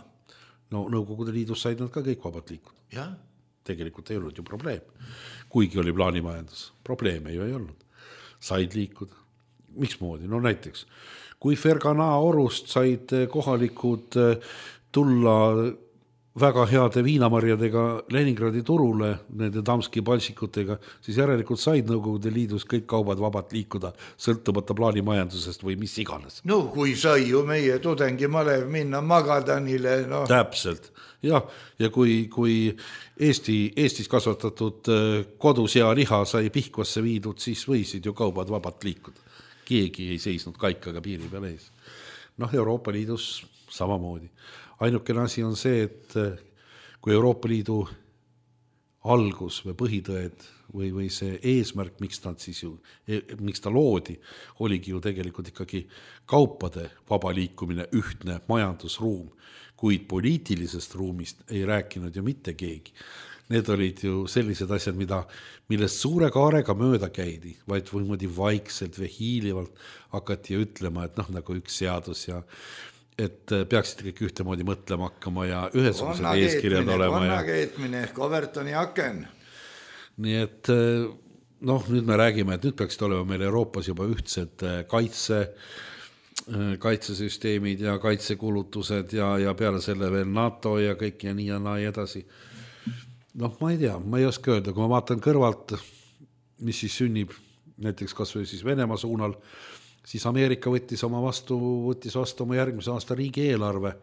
Nõukogude Liidus said nad ka kõik vabalt liikuda. Ja? Tegelikult ei olnud ju probleem. Kuigi oli plaanimajandus. Probleeme ju ei olnud. Said liikuda. Miksmoodi? Näiteks kui Fergana orust said kohalikud tulla väga heade viinamarjadega Leningradi turule, nende Damski palsikutega, siis järelikult said Nõukogude Liidus kõik kaubad vabalt liikuda, sõltumata plaanimajandusest või mis iganes. Kui sai ju meie tudengimalev minna Magadanile. Täpselt. Ja kui Eestis kasvatatud kodusea-liha sai Pihkvasse viidud, siis võisid ju kaubad vabalt liikuda. Keegi ei seisnud kaikaga piiri peal ees. Euroopa Liidus samamoodi. Ainukene asi on see, et kui Euroopa Liidu algus või põhitõed või see eesmärk, miks ta loodi, oligi ju tegelikult ikkagi kaupade vaba liikumine, ühtne majandusruum, kuid poliitilisest ruumist ei rääkinud ju mitte keegi. Need olid ju sellised asjad, millest suure kaarega mööda käidi, vaid võimadi vaikselt või hiilivalt hakati ütlema, et nagu üks seadus ja et peaksid kõik ühtemoodi mõtlema hakkama ja ühesugused eeskirjad olema. Vannakeetmine ehk Overtoni aken. Nii et nüüd me räägime, et nüüd peaksid olema meil Euroopas juba ühtsed kaitsesüsteemid ja kaitsekulutused ja peale selle veel NATO ja kõik ja nii ja naa edasi. Ma ei tea, ma ei oska öelda, kui ma vaatan kõrvalt, mis siis sünnib näiteks kas või siis Venemaa suunal, siis Ameerika võttis vastu oma järgmise aasta riigieelarve,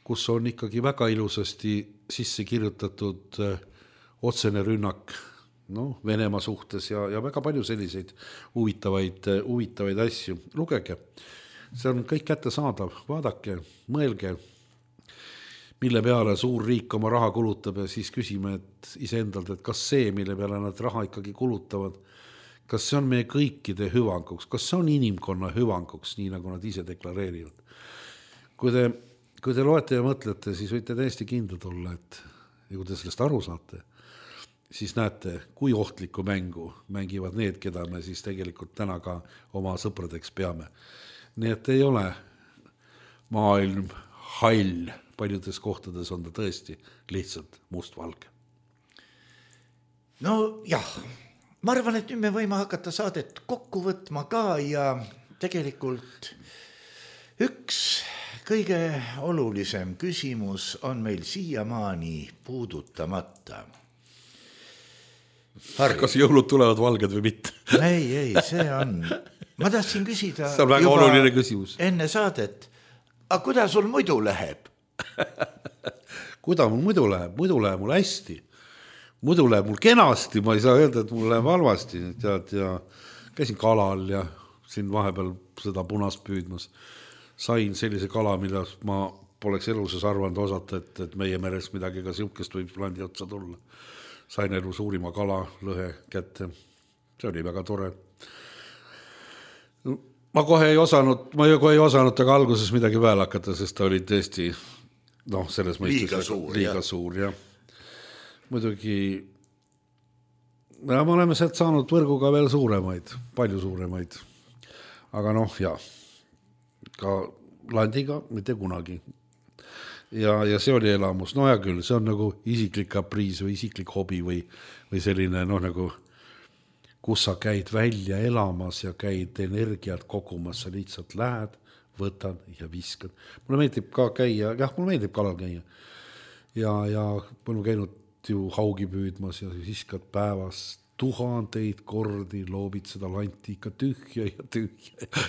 kus on ikkagi väga ilusasti sisse kirjutatud otsene rünnak Venemaa suhtes ja väga palju selliseid huvitavaid asju. Lugege, see on kõik kättesaadav, vaadake, mõelge. mille peale suur riik oma raha kulutab ja siis küsime et iseendalt, et kas see, mille peale nad raha ikkagi kulutavad, kas see on meie kõikide hüvanguks, kas see on inimkonna hüvanguks, nii nagu nad ise deklareerivad. Kui te loete ja mõtlete, siis võite täiesti kindlad olla, et ja kui te sellest aru saate, siis näete, kui ohtlikku mängu mängivad need, keda me siis tegelikult täna ka oma sõpradeks peame. Nii et ei ole maailm hall, paljudes kohtades on ta tõesti lihtsalt mustvalge. No jah, ma arvan, et nüüd me võime hakata saadet kokku võtma ka ja tegelikult üks kõige olulisem küsimus on meil siiamaani puudutamata. Kas jõulud tulevad valged või mitte? Ei, see on. Ma tahtsin küsida see on väga oluline küsimus. Enne saadet, aga kuidas sul muidu läheb? Kuidas mul muidu läheb? Muidu läheb mul hästi. Muidu läheb mul kenasti, ma ei saa öelda, et mul läheb halvasti. Tead, ja käisin kalal ja siin vahepeal seda punast püüdmas. Sain sellise kala, mida ma poleks eluses arvanud osata, et meie meres midagi ka siukest võib landi otsa tulla. Sain elu suurima kala lõhe kätte. See oli väga tore. Ma kohe ei osanud aga alguses midagi peale hakata, sest ta oli tõesti selles mõistes liiga suur. Ja. Muidugi me oleme sealt saanud võrguga veel suuremaid, palju suuremaid. Aga ka landiga mitte kunagi. Ja see oli elamus. No ja küll, see on nagu isiklik kapriis või isiklik hobi või selline nagu kus sa käid välja elamas ja käid energiat kogumas, sa lihtsalt lähed, võtad ja viskad. Mulle meeldib ka käia, mulle meeldib kalal käia. Ja ma olen käinud ju haugi püüdmas ja viskad päevas 1000 kordi, loobid seda lanti ikka tühja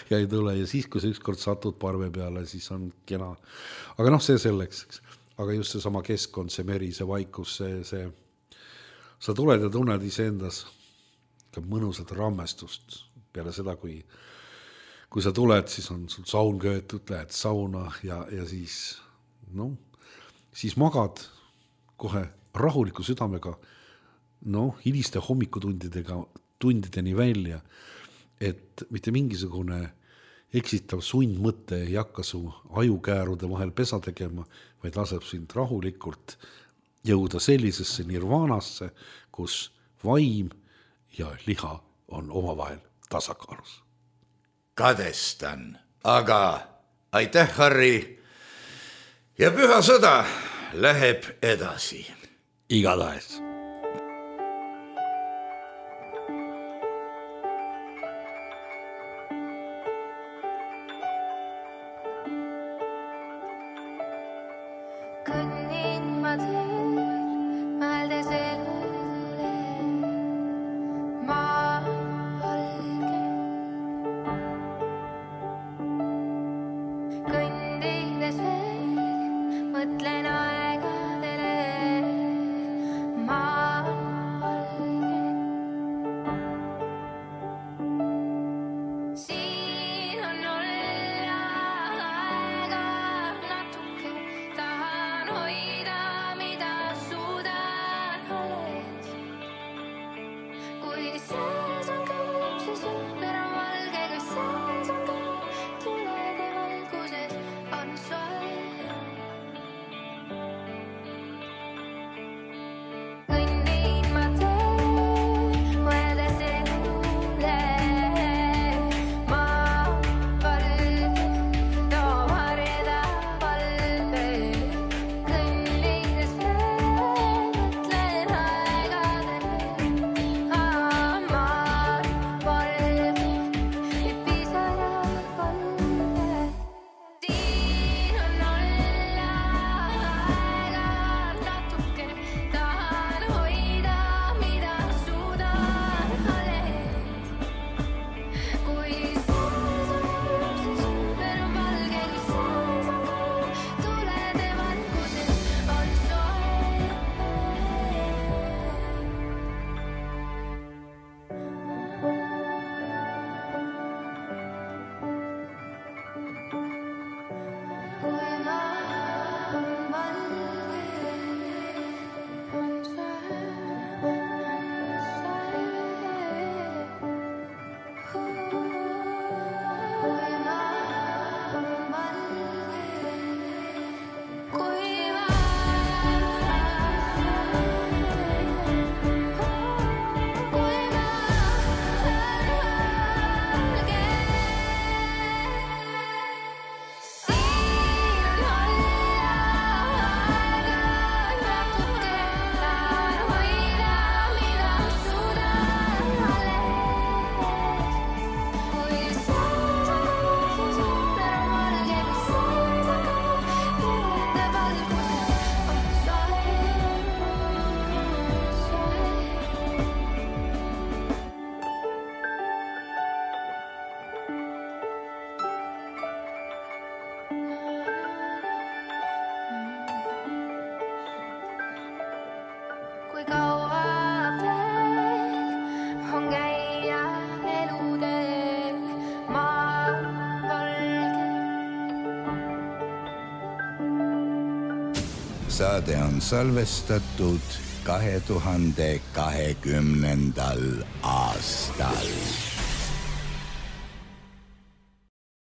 ja ei tule. Ja siis, kui sa ükskord satud parve peale, siis on kena. Aga see selleks. Aga just see sama keskkond, see meri, see vaikus, see sa tuled ja tunned iseendas mõnusat rammestust peale seda, kui sa tuled, siis on sul saun köetud, lähed sauna ja siis magad kohe rahuliku südamega hiliste hommikutundideni välja, et mitte mingisugune eksitav sundmõte ei hakka su ajukäärude vahel pesa tegema, vaid laseb sind rahulikult jõuda sellisesse nirvaanasse, kus vaim ja liha on omavahel tasakaalus. Kadestan, aga aitäh, Harri. Ja püha sõda läheb edasi. Igatahes. Mõtlen aegadele, ma Saade on salvestatud 2020. aastal.